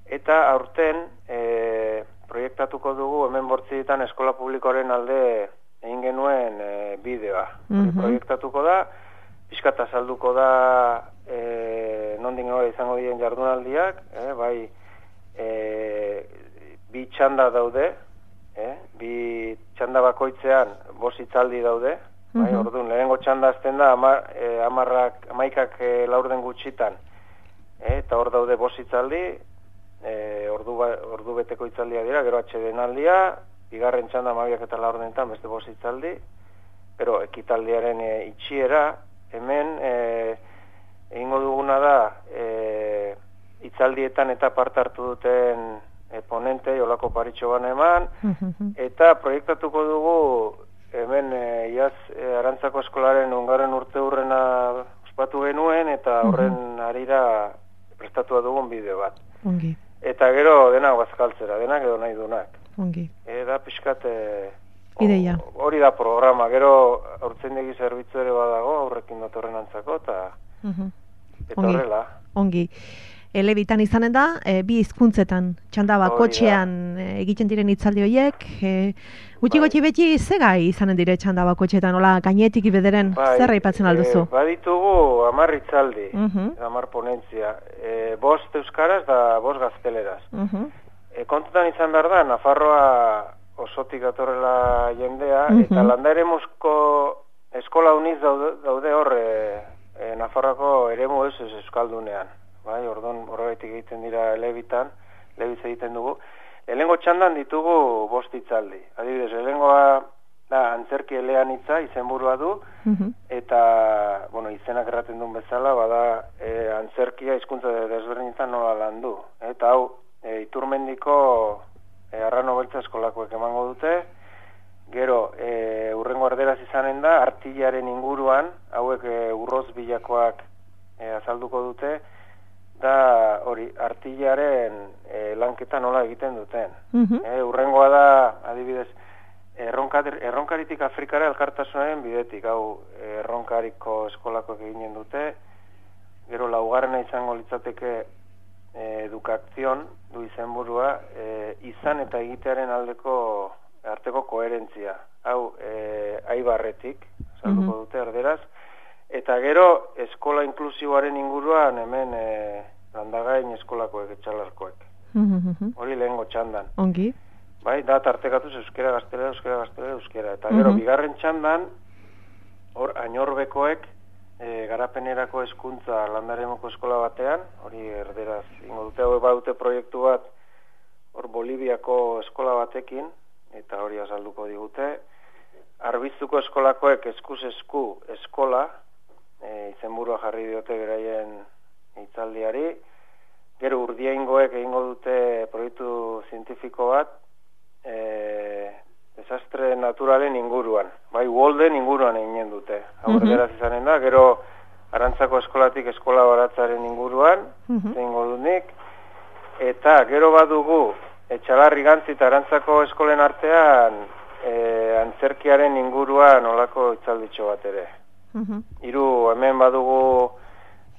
Speaker 6: eta aurten e, proiektatuko dugu hemen Bortziritan eskola publikoaren alde egin genuen e, bideoa. Hori
Speaker 3: Mhm.
Speaker 6: proiektatuko da, pixkat azalduko da e, nondik nora izango diren jardunaldiak, e, bai e, bi txanda daude, e, bi txanda bakoitzean bost hitzaldi daude, bai,
Speaker 3: Mhm.
Speaker 6: orduan lehenengo txanda azten da ama, e, amarrak, amaikak e, laurden gutxitan, e, eta hor daude bost hitzaldi, E, ordu, ba, ordu beteko hitzaldia dira, gero atsedenaldia, bigarren txanda amabiak eta laurdenetan beste bost hitzaldi, pero ekitaldiaren e, itxiera, hemen e, egingo duguna da e, hitzaldietan eta parte hartu duten e, ponente, olako paritxo bana eman,
Speaker 3: Mhm.
Speaker 6: eta proiektatuko dugu hemen e, iaz e, Arantzako eskolaren ungarren urte hurrena ospatu genuen, eta horren harira prestatua dugun bideo bat.
Speaker 3: Ongi,
Speaker 6: Eta gero denak bazkaltzera, denak edo nahi dunak.
Speaker 3: ongi.
Speaker 6: E, da pixkat e, o-
Speaker 3: Ideia.
Speaker 6: hori da programa, gero aurtzaindegi zerbitzu ere badago, aurrekin datorren antzako, eta,
Speaker 3: Mhm.
Speaker 6: eta
Speaker 3: Ongi.
Speaker 6: horrela.
Speaker 3: Ongi. elebitan izanen da, e, bi hizkuntzetan txanda bakotxean e, egiten diren hitzaldi horiek, e, gutxi gutxi beti zegai izanen dire txanda bakotxetan, hola gainetik bederen,
Speaker 6: bai,
Speaker 3: zer aipatzen alduzu?
Speaker 6: E, baditugu hamar hitzaldi,
Speaker 3: uh -huh.
Speaker 6: hamar ponentzia, e, bost euskaraz da bost gazteleraz.
Speaker 3: Uh -huh.
Speaker 6: e, kontutan izan behar da, Nafarroa osotik datorrela jendea, uh -huh. eta landaremusko eskola uniz daude, daude hor e, e, Nafarroako eremu ez ez euskaldunean. Bai, ordon horregatik egiten dira elebitan, elebiz egiten dugu. Lehengo txandan ditugu bost hitzaldi. Adibidez, lehengoa da antzerki eleanitza izenburua du, uh-huh. eta, bueno, izenak erraten duen bezala, bada e, antzerkia hizkuntza desberdinetan nola landu. Eta hau, e, Iturmendiko e, Arrano Beltza eskolakoek emango dute, gero, e, urrengo erderaz izanen da, artillaren inguruan, hauek e, urroz bilakoak e, azalduko dute, da hori artillaren e, lanketa nola egiten duten. Uh-huh. E, urrengoa da, adibidez, erronka, erronkaritik Afrikara elkartasunaren bidetik, hau erronkariko eskolakoak eginen dute, gero laugarrena izango litzateke e, edukakzion, du izenburua, e, izan eta egitearen aldeko arteko koherentzia. Hau, e, aibarretik, salduko uh-huh. dute erderaz, eta gero, eskola inklusiboaren inguruan hemen e, landagain eskolakoek etxalarkoek.
Speaker 3: Uh-huh.
Speaker 6: Hori lehengo txandan.
Speaker 3: Ongi.
Speaker 6: Bai, da tartekatuz euskera gaztelera, euskera gaztelera, euskera. Eta gero, uh-huh. bigarren txandan, hor, ainorbekoek e, garapenerako hezkuntza landaremoko eskola batean, hori erderaz ingo dute, hau badute proiektu bat, hor Boliviako eskola batekin, eta hori azalduko digute. Arbizuko eskolakoek eskuz esku eskola, E, izenburua jarri diote beraien hitzaldiari. Gero Urdiaingoek egingo dute proiektu zientifiko bat e, desastre naturalen inguruan. Bai, Walden inguruan eginen dute. Hau uh-huh. erderaz izanen da. Gero Arantzako eskolatik eskola baratzaren inguruan uh-huh. egingo dunik. Eta gero badugu Etxalarri Gantzi eta Arantzako eskolen artean e, antzerkiaren inguruan olako hitzalditxo bat ere. Uh-huh. Hiru hemen badugu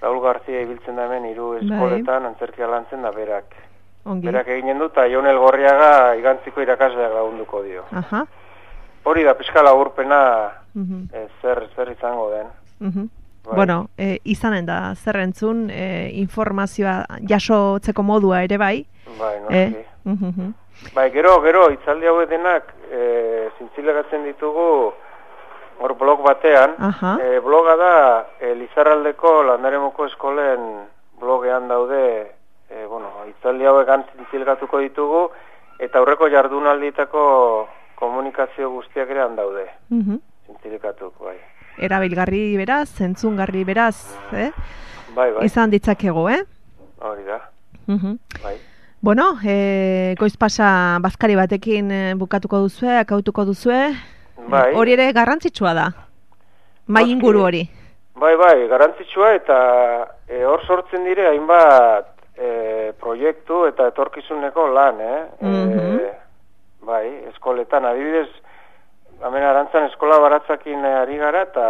Speaker 6: Raul Garzia ibiltzen da hemen hiru eskoletan antzerkia lantzen da berak.
Speaker 3: Ongi.
Speaker 6: Berak eginen du eta Jonel Gorriaga igantziko irakasleak lagunduko dio.
Speaker 3: Aha.
Speaker 6: Hori da pixka laburpena
Speaker 3: uh-huh.
Speaker 6: e, zer zer izango den.
Speaker 3: Uh-huh.
Speaker 6: Bai.
Speaker 3: Bueno, e, izanen da zer entzun e, informazioa jasotzeko modua ere bai.
Speaker 6: Bai, noski.
Speaker 3: E? Uh-huh.
Speaker 6: Bai, gero gero hitzaldi hauek denak e, zintzilegatzen ditugu. Hor blog batean, e, bloga da e, Lizarraldeko landaremoko eskolen blogean daude, e, bueno, hitzaldi hauek antzilgatuko ditugu, eta aurreko jardunaldietako komunikazio guztiak ere daude. Uh-huh. Zintzilikatuk, bai.
Speaker 3: Erabilgarri beraz, entzungarri beraz, eh?
Speaker 6: Bai, bai.
Speaker 3: Izan ditzakego, eh?
Speaker 6: Hori da.
Speaker 3: Uh-huh.
Speaker 6: Bai.
Speaker 3: Bueno, e, goiz pasa bazkari batekin e, bukatuko duzue, akautuko duzue,
Speaker 6: bai.
Speaker 3: Hori ere garrantzitsua da, mai inguru hori.
Speaker 6: Bai, bai, garrantzitsua eta e, hor sortzen dire hainbat e, proiektu eta etorkizuneko lan, eh?
Speaker 3: Mm-hmm.
Speaker 6: E, bai, eskoletan, adibidez, hemen Arantzan eskola baratzakin ari gara eta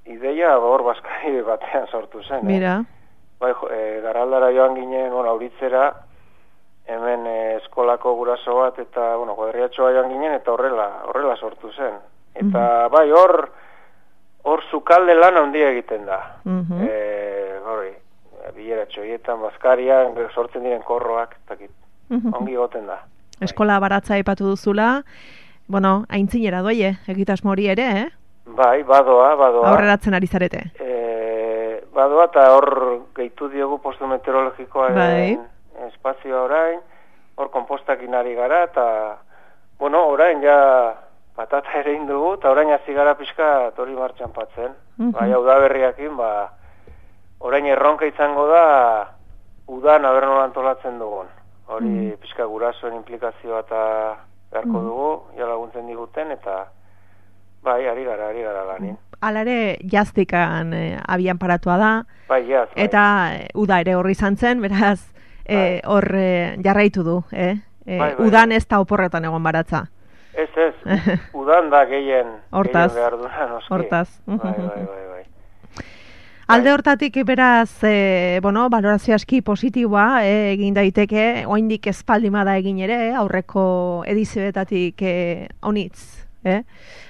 Speaker 6: ideia hor bazkari batean sortu zen.
Speaker 3: Mira.
Speaker 6: Eh? Bai, e, Garaldara joan ginen, bueno, auritzera, hemen e, eskolako guraso bat eta, bueno, kuadriatxoa joan ginen eta horrela, horrela sortu zen. Eta, mm-hmm. bai, hor, hor zukalde lan handia egiten da. Mm-hmm. E, hori, bileratxoietan, bazkarian, sortzen diren korroak, takit, mm-hmm. ongi goten da.
Speaker 3: Eskola baratza aipatu duzula, bueno, aintzinera doie, egitasmo hori ere, eh?
Speaker 6: Bai, badoa, badoa.
Speaker 3: Aurreratzen ari zarete.
Speaker 6: E, badoa eta hor gehitu diogu postu meteorologikoaren bai. Espazioa orain, hor kompostakin ari gara, eta, bueno, orain ja patata ere indugu, eta orain hasi gara pixka hori martxan patzen. Mm-hmm. Bai, hau da berriakin, ba, orain erronka izango da, udan aber nola antolatzen dugun. Hori mm-hmm. pixka gurasoen implikazioa eta beharko mm-hmm. dugu, ja laguntzen diguten, eta bai, ari gara, ari gara lanin.
Speaker 3: Alare jaztikan eh, abian paratua da,
Speaker 6: bai, jaz, bai.
Speaker 3: Eta eh, uda ere horri izan zen, beraz, hor eh, eh, jarraitu du, eh? Eh, bai, bai, udan ez da oporretan egon baratza.
Speaker 6: Ez, ez, udan da gehien,
Speaker 3: hortaz,
Speaker 6: gehien behar duna, noski.
Speaker 3: Hortaz.
Speaker 6: Bai, bai, bai, bai.
Speaker 3: Alde hortatik beraz, e, bueno, valorazio aski positiboa e, egin daiteke, oraindik espaldima da egin ere, aurreko edizioetatik e, honitz, eh?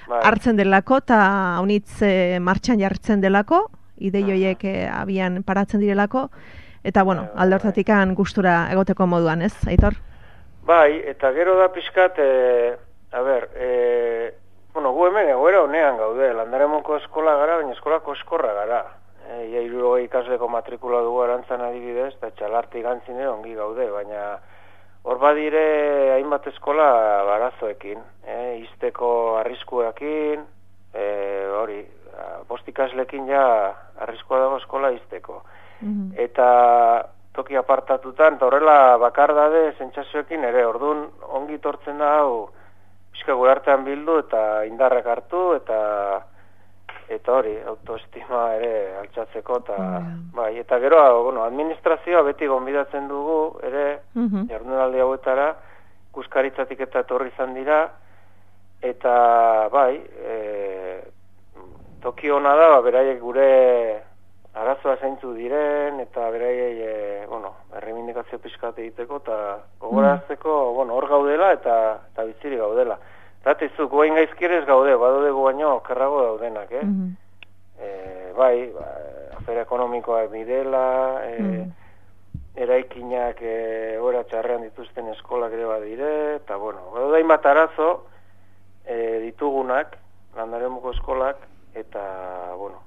Speaker 3: Bai. Hartzen delako eta honitz e, martxan jartzen delako, idei horiek e, abian paratzen direlako, eta bueno, bai, bai, alde hortatik bai. Gustura egoteko moduan, ez, Aitor?
Speaker 6: Bai, eta gero da pixkat, e, a ber, e, bueno, gu hemen egoera honean gaude, Landaremoko eskola gara, baina eskolako eskorra gara. E, ia iruro ikasleko matrikula dugu arantzan adibidez, eta txalarti gantzine ongi gaude, baina hor badire hainbat eskola barazoekin, e, izteko arriskuekin, e, hori, bost ikaslekin ja arriskua dago eskola izteko. Mm-hmm. Eta toki apartatutan, eta horrela bakardade sentsazioekin ere, orduan ongi tortzen da hau, pixka gure artean bildu eta indarrak hartu, eta eta hori, autoestima ere altxatzeko, eta mm. bai, eta gero, bueno, administrazioa beti gonbidatzen dugu, ere, mm-hmm. jardunaldi hauetara, ikuskaritzatik eta etorri izan dira, eta bai, e, toki hona da, beraiek gure arazoa zeintzu diren, eta beraiei, e, bueno, erreimindikazio pixkat egiteko, eta gogorazteko, mm. bueno, hor gaudela, eta, eta biziri gaudela. Ratizu, guain gaizkirez gaude, badode guaino kerrago daudenak, eh? Mm-hmm. E, bai, ba, afera ekonomikoak direla, e, mm-hmm. eraikinak e, ora txarrean dituzten eskolak ere badire, eta bueno, badode hainbat arazo e, ditugunak, Landaremoko eskolak, eta, bueno,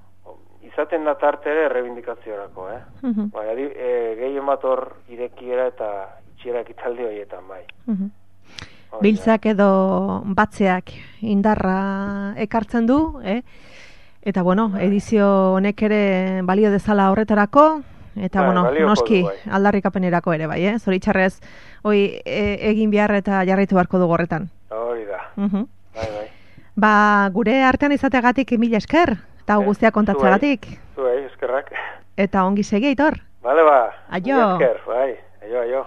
Speaker 6: izaten da tarte ere errebindikaziorako, eh? Mm-hmm. Bai, adi, e, gehien bat hor irekiera eta itxiera ekitaldi horietan, bai. Mm-hmm.
Speaker 3: Biltzak edo batzeak indarra ekartzen du, eh? Eta bueno, edizio honek ere balio dezala horretarako, eta bai, bueno, noski du, bai. Aldarrikapenerako ere bai, eh? Zoritxarrez, hoi e, egin behar eta jarraitu beharko dugu horretan.
Speaker 6: Hori da,
Speaker 3: uh-huh.
Speaker 6: bai, bai.
Speaker 3: Ba, gure artean izateagatik mila esker, eta eh, guztia kontatzeagatik.
Speaker 6: Zuei, eskerrak.
Speaker 3: Eta ongi segi, Aitor.
Speaker 6: Bale ba,
Speaker 3: aio.
Speaker 6: Esker, bai, aio, aio.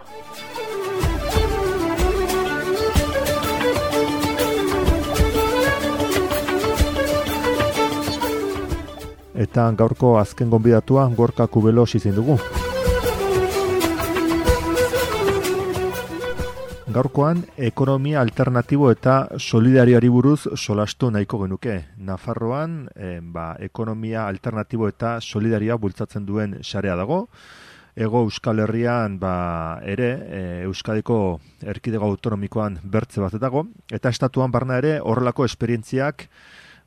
Speaker 1: Eta gaurko azken gonbidatua Gorka Kubelos izin dugu. Gaurkoan ekonomia alternatibo eta solidarioari buruz solastu nahiko genuke. Nafarroan eh, ba, ekonomia alternatibo eta solidarioa bultzatzen duen sarea dago. Ego Euskal Herrian ba, ere e, Euskadiko erkidego autonomikoan bertze bat dago. Eta estatuan barna ere horrelako esperientziak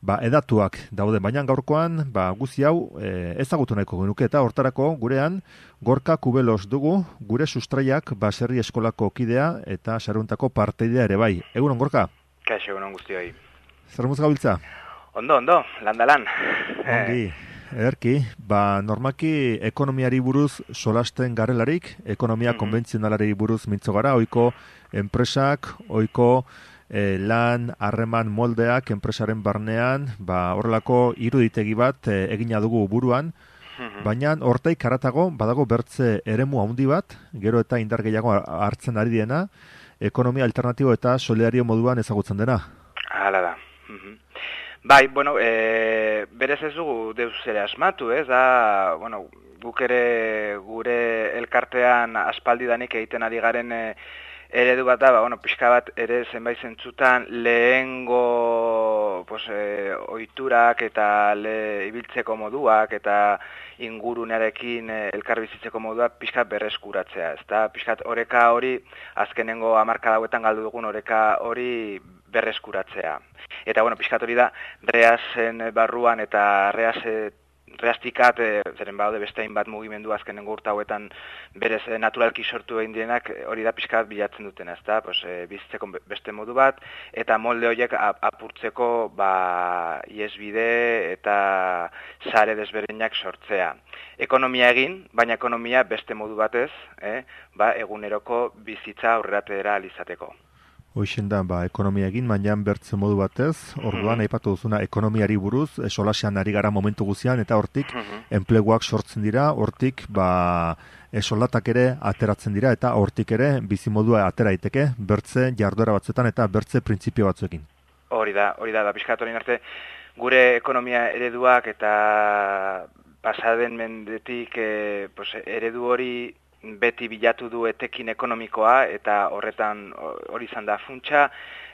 Speaker 1: ba, edatuak daude, baina gaurkoan ba, guzi hau e, ezagutu nahiko genuke eta hortarako gurean Gorka Kubelos dugu, gure sustraiak baserri eskolako kidea eta saruntako parteidea ere bai. Egunon, Gorka?
Speaker 7: Kaixo, egunon guztioi.
Speaker 1: Zer muz gabiltza?
Speaker 7: Ondo, ondo, landalan.
Speaker 1: Ongi, ederki, ba, normaki ekonomiari buruz solasten garelarik, ekonomia mm-hmm. konbentzionalari buruz mintzo gara, oiko enpresak, oiko E, lan, harreman moldeak enpresaren barnean, ba, horrelako iruditegi bat e, egina dugu buruan, mm-hmm. baina hortaik haratago badago bertze eremu handi bat, gero eta indar gehiago hartzen ari diena, ekonomia alternatibo eta solidario moduan ezagutzen dena.
Speaker 7: Hala da. Mm-hmm. Bai, bueno, e, berez ez dugu deus ere asmatu, ez da, bueno, guk ere gure elkartean aspaldidanik egiten ari garen e, eredu bat da, ba, bueno, pixka bat ere zenbait zentzutan lehengo pues, e, oiturak eta le, ibiltzeko moduak eta ingurunearekin e, elkarbizitzeko moduak pixka berreskuratzea. Ezta? Pixkat oreka hori, azkenengo hamarkada hauetan galdu dugun oreka hori berreskuratzea. Eta, bueno, pixkat hori da, reazen barruan eta reaze Reastikat, e, zeren baude beste hainbat mugimendu azkenengo urte hauetan berez e, naturalki sortu egin dienak hori da pixkat bilatzen duten, ezta? Pues, e, bizitzeko beste modu bat, eta molde horiek apurtzeko ba, iesbide eta sare desberdinak sortzea. Ekonomia egin, baina ekonomia beste modu batez, eh? ba, eguneroko bizitza aurreratera alizateko.
Speaker 1: Hoixen da, ba, ekonomia egin, baina bertze modu batez, orduan mm-hmm. aipatu duzuna ekonomiari buruz, solasean ari gara momentu guzian, eta hortik mm-hmm. enpleguak sortzen dira, hortik ba, soldatak ere ateratzen dira, eta hortik ere bizimodua atera daiteke bertze jarduera batzuetan eta bertze printzipio batzuekin.
Speaker 7: Hori da, hori da, da pixkat horien arte, gure ekonomia ereduak eta ba, pasaden mendetik e, pues, eredu hori beti bilatu du etekin ekonomikoa, eta horretan hori izan da funtsa,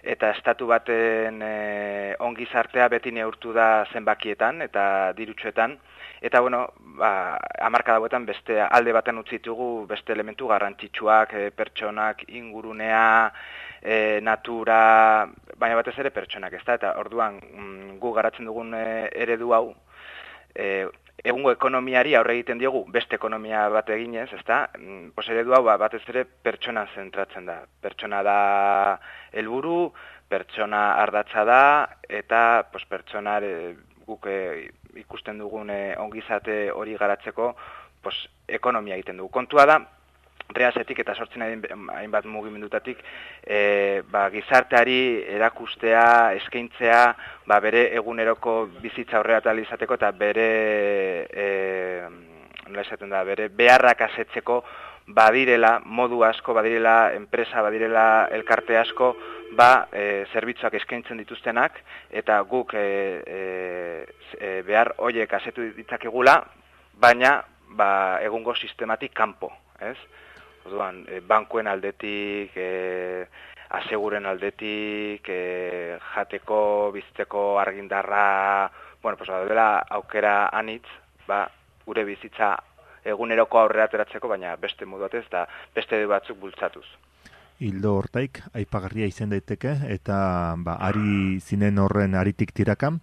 Speaker 7: eta estatu baten e, ongizartea beti neurtu da zenbakietan eta dirutsuetan, eta bueno, ba, hamarkada hauetan beste alde baten utzi ditugu beste elementu garrantzitsuak, e, pertsonak, ingurunea, e, natura, baina batez ere pertsonak, ezta? Eta orduan mm, gu garatzen dugun e, eredu hau, e, egungo ekonomiari aurre egiten diogu beste ekonomia bat eginez, ezta? Pues eredu hau batez ere pertsona zentratzen da. Pertsona da helburu, pertsona ardatza da, eta pues, pertsonar e, guk e, ikusten dugun e, ongizate hori garatzeko pues, ekonomia egiten dugu. Kontua da, Reasetik eta sortzen hainbat mugimendutatik e, ba, gizarteari erakustea, eskaintzea, ba, bere eguneroko bizitza aurrera tal izateko eta bere e, nola esaten da, bere beharrak asetzeko badirela modu asko, badirela enpresa, badirela elkarte asko, ba, e, zerbitzuak eskaintzen dituztenak, eta guk e, e, behar hoiek asetu ditzakegula, baina ba, egungo sistematik kanpo, ez? Orduan, e, bankuen aldetik, e, aseguren aldetik, e, jateko, bizteko argindarra, bueno, pues, dela aukera anitz, ba, gure bizitza eguneroko aurrera ateratzeko, baina beste modu batez eta beste batzuk bultzatuz.
Speaker 1: Hildo hortaik, aipagarria izan daiteke, eta ba, ari zinen horren aritik tirakan,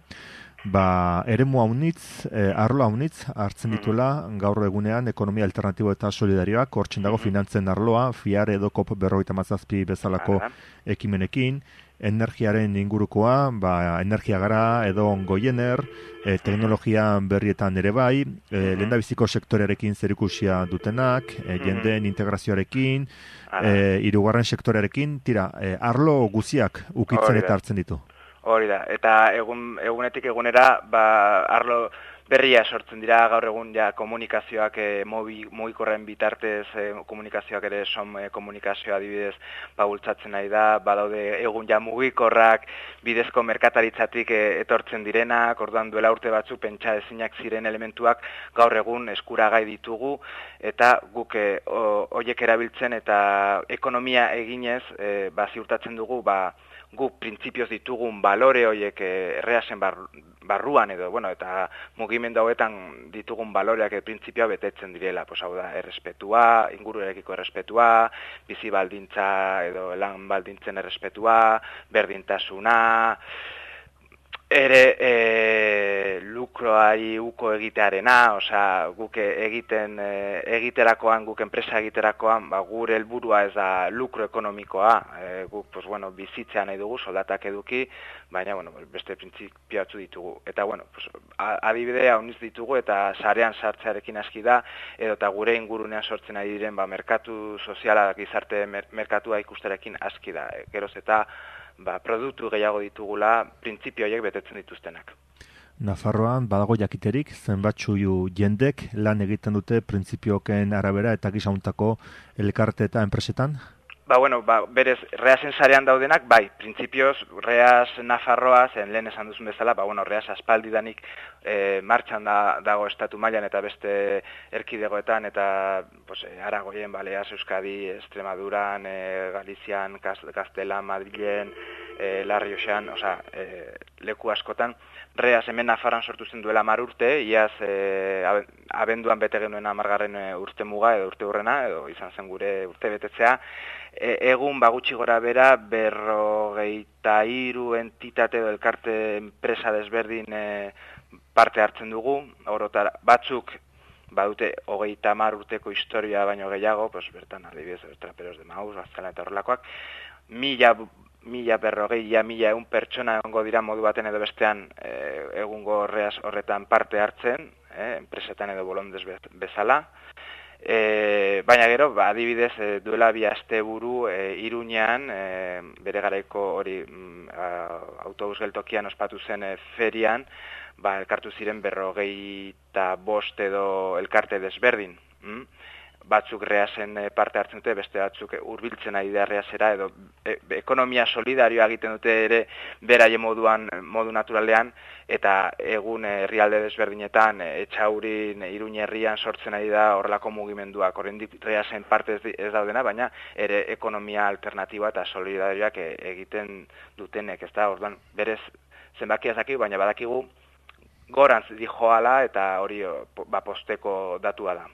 Speaker 1: ba, eremu haunitz, eh, arlo haunitz hartzen dituela gaur egunean ekonomia alternatibo eta solidarioak, hortzen dago finantzen arloa, fiar edo kop berrogeita hamazazpi bezalako ekimenekin, energiaren ingurukoa, ba, energia gara edo goiener, e, teknologia berrietan ere bai, e, lehendabiziko sektorearekin zerikusia dutenak, e, jendeen integrazioarekin, e, hirugarren sektorearekin, tira, e, arlo guziak ukitzen eta hartzen ditu.
Speaker 7: Hori da, eta egun, egunetik egunera, ba, arlo berria sortzen dira gaur egun ja komunikazioak e, mugikorren bitartez e, komunikazioak ere som e, komunikazioa adibidez ba, bultzatzen nahi da, badaude egun ja mugikorrak bidezko merkataritzatik e, etortzen direnak, orduan duela urte batzu pentsa ezinak ziren elementuak gaur egun eskuragai ditugu, eta guk e, hoiek erabiltzen eta ekonomia eginez e, ba, ziurtatzen dugu ba, guk printzipioz ditugun balore horiek erreasen barruan edo, bueno, eta mugimendu hauetan ditugun baloreak printzipioa betetzen direla, pues hau da, errespetua, inguruarekiko errespetua, bizi baldintza edo lan baldintzen errespetua, berdintasuna, ere e, lukroari uko egitearena, osea, guk egiten e, egiterakoan, guk enpresa egiterakoan, ba, gure helburua ez da lukro ekonomikoa, e, guk pues, bueno, bizitzea nahi dugu, soldatak eduki, baina bueno, beste printzipio batzu ditugu. Eta bueno, pues, adibidea hauniz ditugu eta sarean sartzearekin aski da, edo eta gure ingurunean sortzen ari diren ba, merkatu soziala, gizarte mer merkatua ikusterekin aski da. E, geroz eta ba, produktu gehiago ditugula, printzipio horiek betetzen dituztenak.
Speaker 1: Nafarroan badago jakiterik, zenbatzu jendek lan egiten dute printzipioken arabera eta gizauntako elkarte eta enpresetan?
Speaker 7: Ba, bueno, ba, berez, Reasen sarean daudenak, bai, printzipioz, Reas Nafarroa, zen lehen esan duzun bezala, ba, bueno, Reas aspaldidanik e, martxan da, dago estatu mailan eta beste erkidegoetan, eta pues, Aragoien, Baleaz, Euskadi, Extremaduran, e, Galizian, Gaztelan, Madrilen, e, La Rioxan, oza, e, leku askotan. Reas hemen Nafarroan sortu zen duela hamar urte, iaz e, abenduan bete genuen hamargarren urte muga edo urte hurrena, edo izan zen gure urte betetzea. E, egun bagutxi gora bera berrogeita hiru entitate edo elkarte enpresa desberdin e, parte hartzen dugu, orotara, batzuk badute hogeita hamar urteko historia baino gehiago, pues, bertan adibidez, Traperos de Maus, Baztela eta horrelakoak, mila mila berrogei, ja, mila egun pertsona egongo dira modu baten edo bestean e, egungo Reas horretan parte hartzen, e, enpresetan edo bolondez bezala. E, baina gero, ba, adibidez, e, duela bi asteburu e, Iruñean, e, bere garaiko hori mm, autobus geltokian ospatu zen e, ferian, ba, elkartu ziren berrogeita bost edo elkarte desberdin. Mm? batzuk reasen parte hartzen dute, beste batzuk hurbiltzen ari da reasera, edo e, ekonomia solidarioa egiten dute ere beraien moduan, modu naturalean, eta egun herrialde desberdinetan, Etxaurin, Iruña herrian sortzen ari da horrelako mugimenduak, oraindik reasen parte ez daudena, baina ere ekonomia alternatiba eta solidarioak egiten dutenek, ez da, orduan, berez zenbakia ez dakigu, baina badakigu gorantz dijoala eta hori ba, posteko datua da.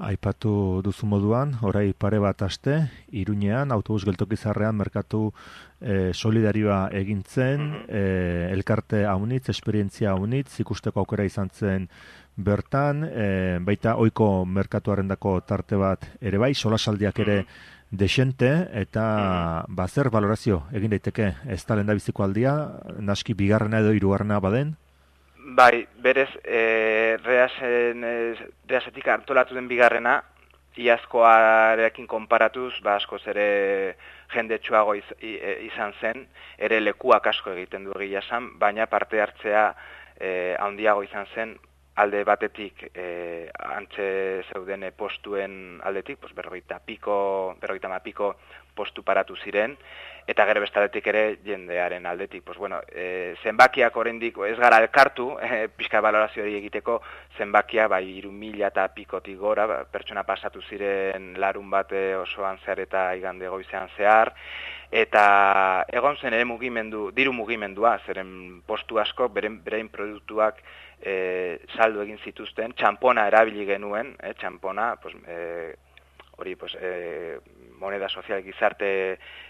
Speaker 1: Aipatu duzu moduan, orai pare bat aste, Iruñean, autobus geltokizarrean merkatu e, solidarioa egintzen, e, elkarte haunitz, esperientzia haunitz, ikusteko aukera izan zen bertan, e, baita ohiko merkatuarendako tarte bat ere bai, solasaldiak ere desente, eta ba, zer valorazio egin daiteke, ez da lehendabiziko aldia, naski bigarrena edo hirugarrena baden?
Speaker 7: Bai, berez, e, reasen, e, reasetik antolatu den bigarrena, iazkoarekin konparatuz, ba, askoz ere jendetsuago iz, izan zen, ere lekuak asko egiten du egia esan, baina parte hartzea e, handiago izan zen, alde batetik e, antxe zeuden postuen aldetik, pues, berrogeita piko, berrogeita ma piko postu paratu ziren, eta gero bestaletik ere jendearen aldetik. Pues, bueno, e, zenbakiak oraindik ez gara elkartu, e, pixka balorazio hori egiteko, zenbakia bai hiru mila eta pikotik gora, ba, pertsona pasatu ziren larun bate osoan zehar eta igande goizean zehar, eta egon zen ere mugimendu, diru mugimendua, zeren postu asko, beren, beren produktuak e, saldu egin zituzten, txampona erabili genuen, e, txampona, pues, e, hori, pues, e, moneda sozial gizarte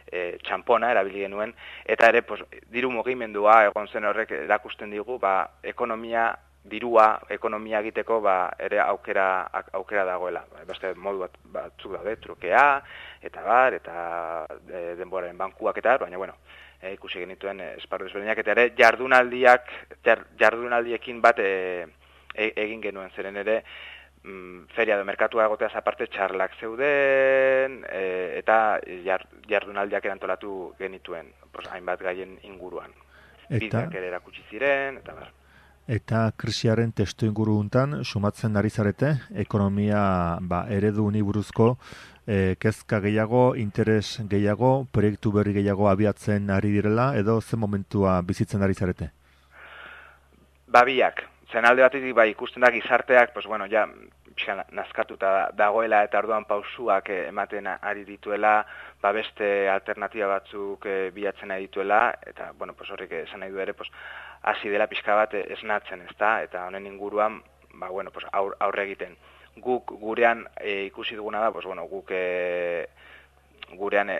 Speaker 7: e, txampona erabili genuen, eta ere, pues, diru mugimendua egon zen horrek erakusten digu, ba, ekonomia, dirua, ekonomia egiteko, ba, ere aukera, aukera dagoela. Beste modu bat, batzuk daude, trukea, eta bar, eta e, denboraren bankuak eta, baina, bueno, e, ikusi genituen esparru desberdinak, eta ere jardunaldiak, jardunaldiekin bat e, e, egin genuen, zeren ere, feria edo merkatua egoteaz aparte txarlak zeuden e, eta jardunaldiak erantolatu genituen, pues, hainbat gaien inguruan. Bideak ere erakutsi ziren, eta bar.
Speaker 1: Eta krisiaren testu inguru untan, sumatzen ari zarete, ekonomia ba, eredu uniburuzko e, kezka gehiago, interes gehiago, proiektu berri gehiago abiatzen ari direla, edo zen momentua bizitzen ari zarete?
Speaker 7: Babiak. Zen alde batetik bai ikusten da gizarteak, pues bueno, ja, pixka nazkatuta dagoela eta orduan pausuak ematen ari dituela, ba beste alternatiba batzuk e, bilatzen ari dituela, eta, bueno, pues horrek esan nahi du ere, pues, hasi dela pixka bat esnatzen, ezta? Eta honen inguruan, ba, bueno, pues, aur, aurre egiten. Guk gurean e, ikusi duguna da, pues, bueno, guk e, gurean e,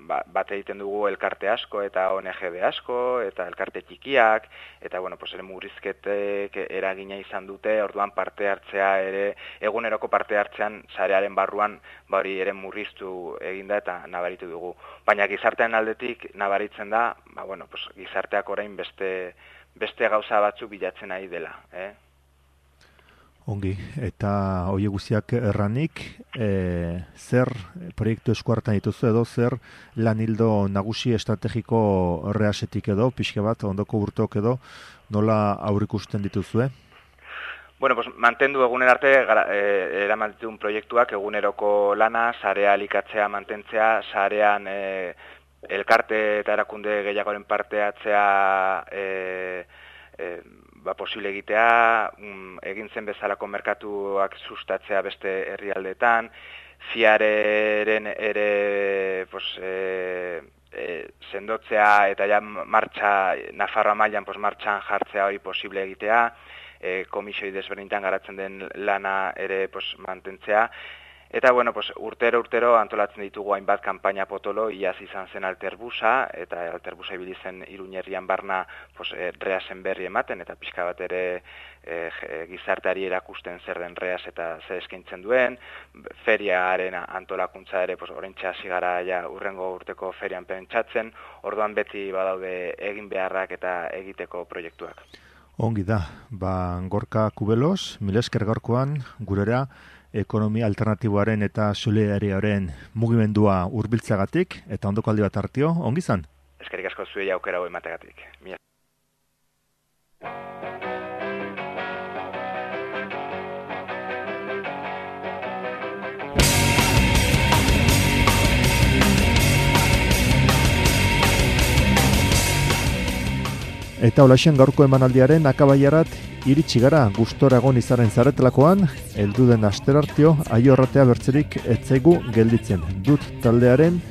Speaker 7: bat egiten dugu elkarte asko eta O N G de asko eta elkarte txikiak eta bueno, pues ere murrizketek eragina izan dute, orduan parte hartzea ere eguneroko parte hartzean sarearen barruan ba hori ere murriztu eginda eta nabaritu dugu. Baina gizartean aldetik nabaritzen da, ba bueno, pues gizarteak orain beste beste gauza batzuk bilatzen ari dela, eh?
Speaker 1: Ongi, eta hoi guztiak erranik, e, zer proiektu eskuartan dituzu edo zer lan hildo nagusi estrategiko reasetik edo, pixke bat, ondoko urteok edo, nola aurrikusten dituzue?
Speaker 7: Bueno, pues mantendu eguner arte e, eraman ditun proiektuak eguneroko lana, sarea elikatzea mantentzea, sarean e, elkarte eta erakunde gehiagoren parte hartzea e, e, ba, posible egitea, um, egin zen bezalako merkatuak sustatzea beste herrialdeetan, fiareren ere pues, e, e, sendotzea eta ja martxa, Nafarroa mailan pues, martxan jartzea hori posible egitea, e, komisioi desberdinetan garatzen den lana ere pues, mantentzea, eta bueno, pues, urtero urtero antolatzen ditugu hainbat kanpaina potolo, iaz izan zen Alterbusa, eta Alterbusa ibili zen Iruñerrian barna pues, e, reasen berri ematen, eta pixka bat ere e, gizarteari erakusten zer den reas eta zer eskaintzen duen, feriaren antolakuntza ere pues, oraintxe hasi gara ja urrengo urteko ferian pentsatzen, orduan beti badaude egin beharrak eta egiteko proiektuak.
Speaker 1: Ongi da, ba, Gorka Kubelos, milesker gaurkoan gurera, ekonomia alternatiboaren eta solidariaren mugimendua hurbiltzagatik eta ondoko aldi bat hartio, ongi izan?
Speaker 7: Eskerrik asko zuei aukera hori emategatik. Mila.
Speaker 1: Eta olaxen gaurko emanaldiaren akabaiarat iritsi gara gustora egon izaren zaretelakoan, heldu den asterartio aiorratea bertzerik etzaigu gelditzen. Dut taldearen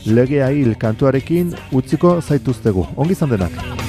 Speaker 1: legea hil kantuarekin utziko zaituztegu. Ongi izan denak.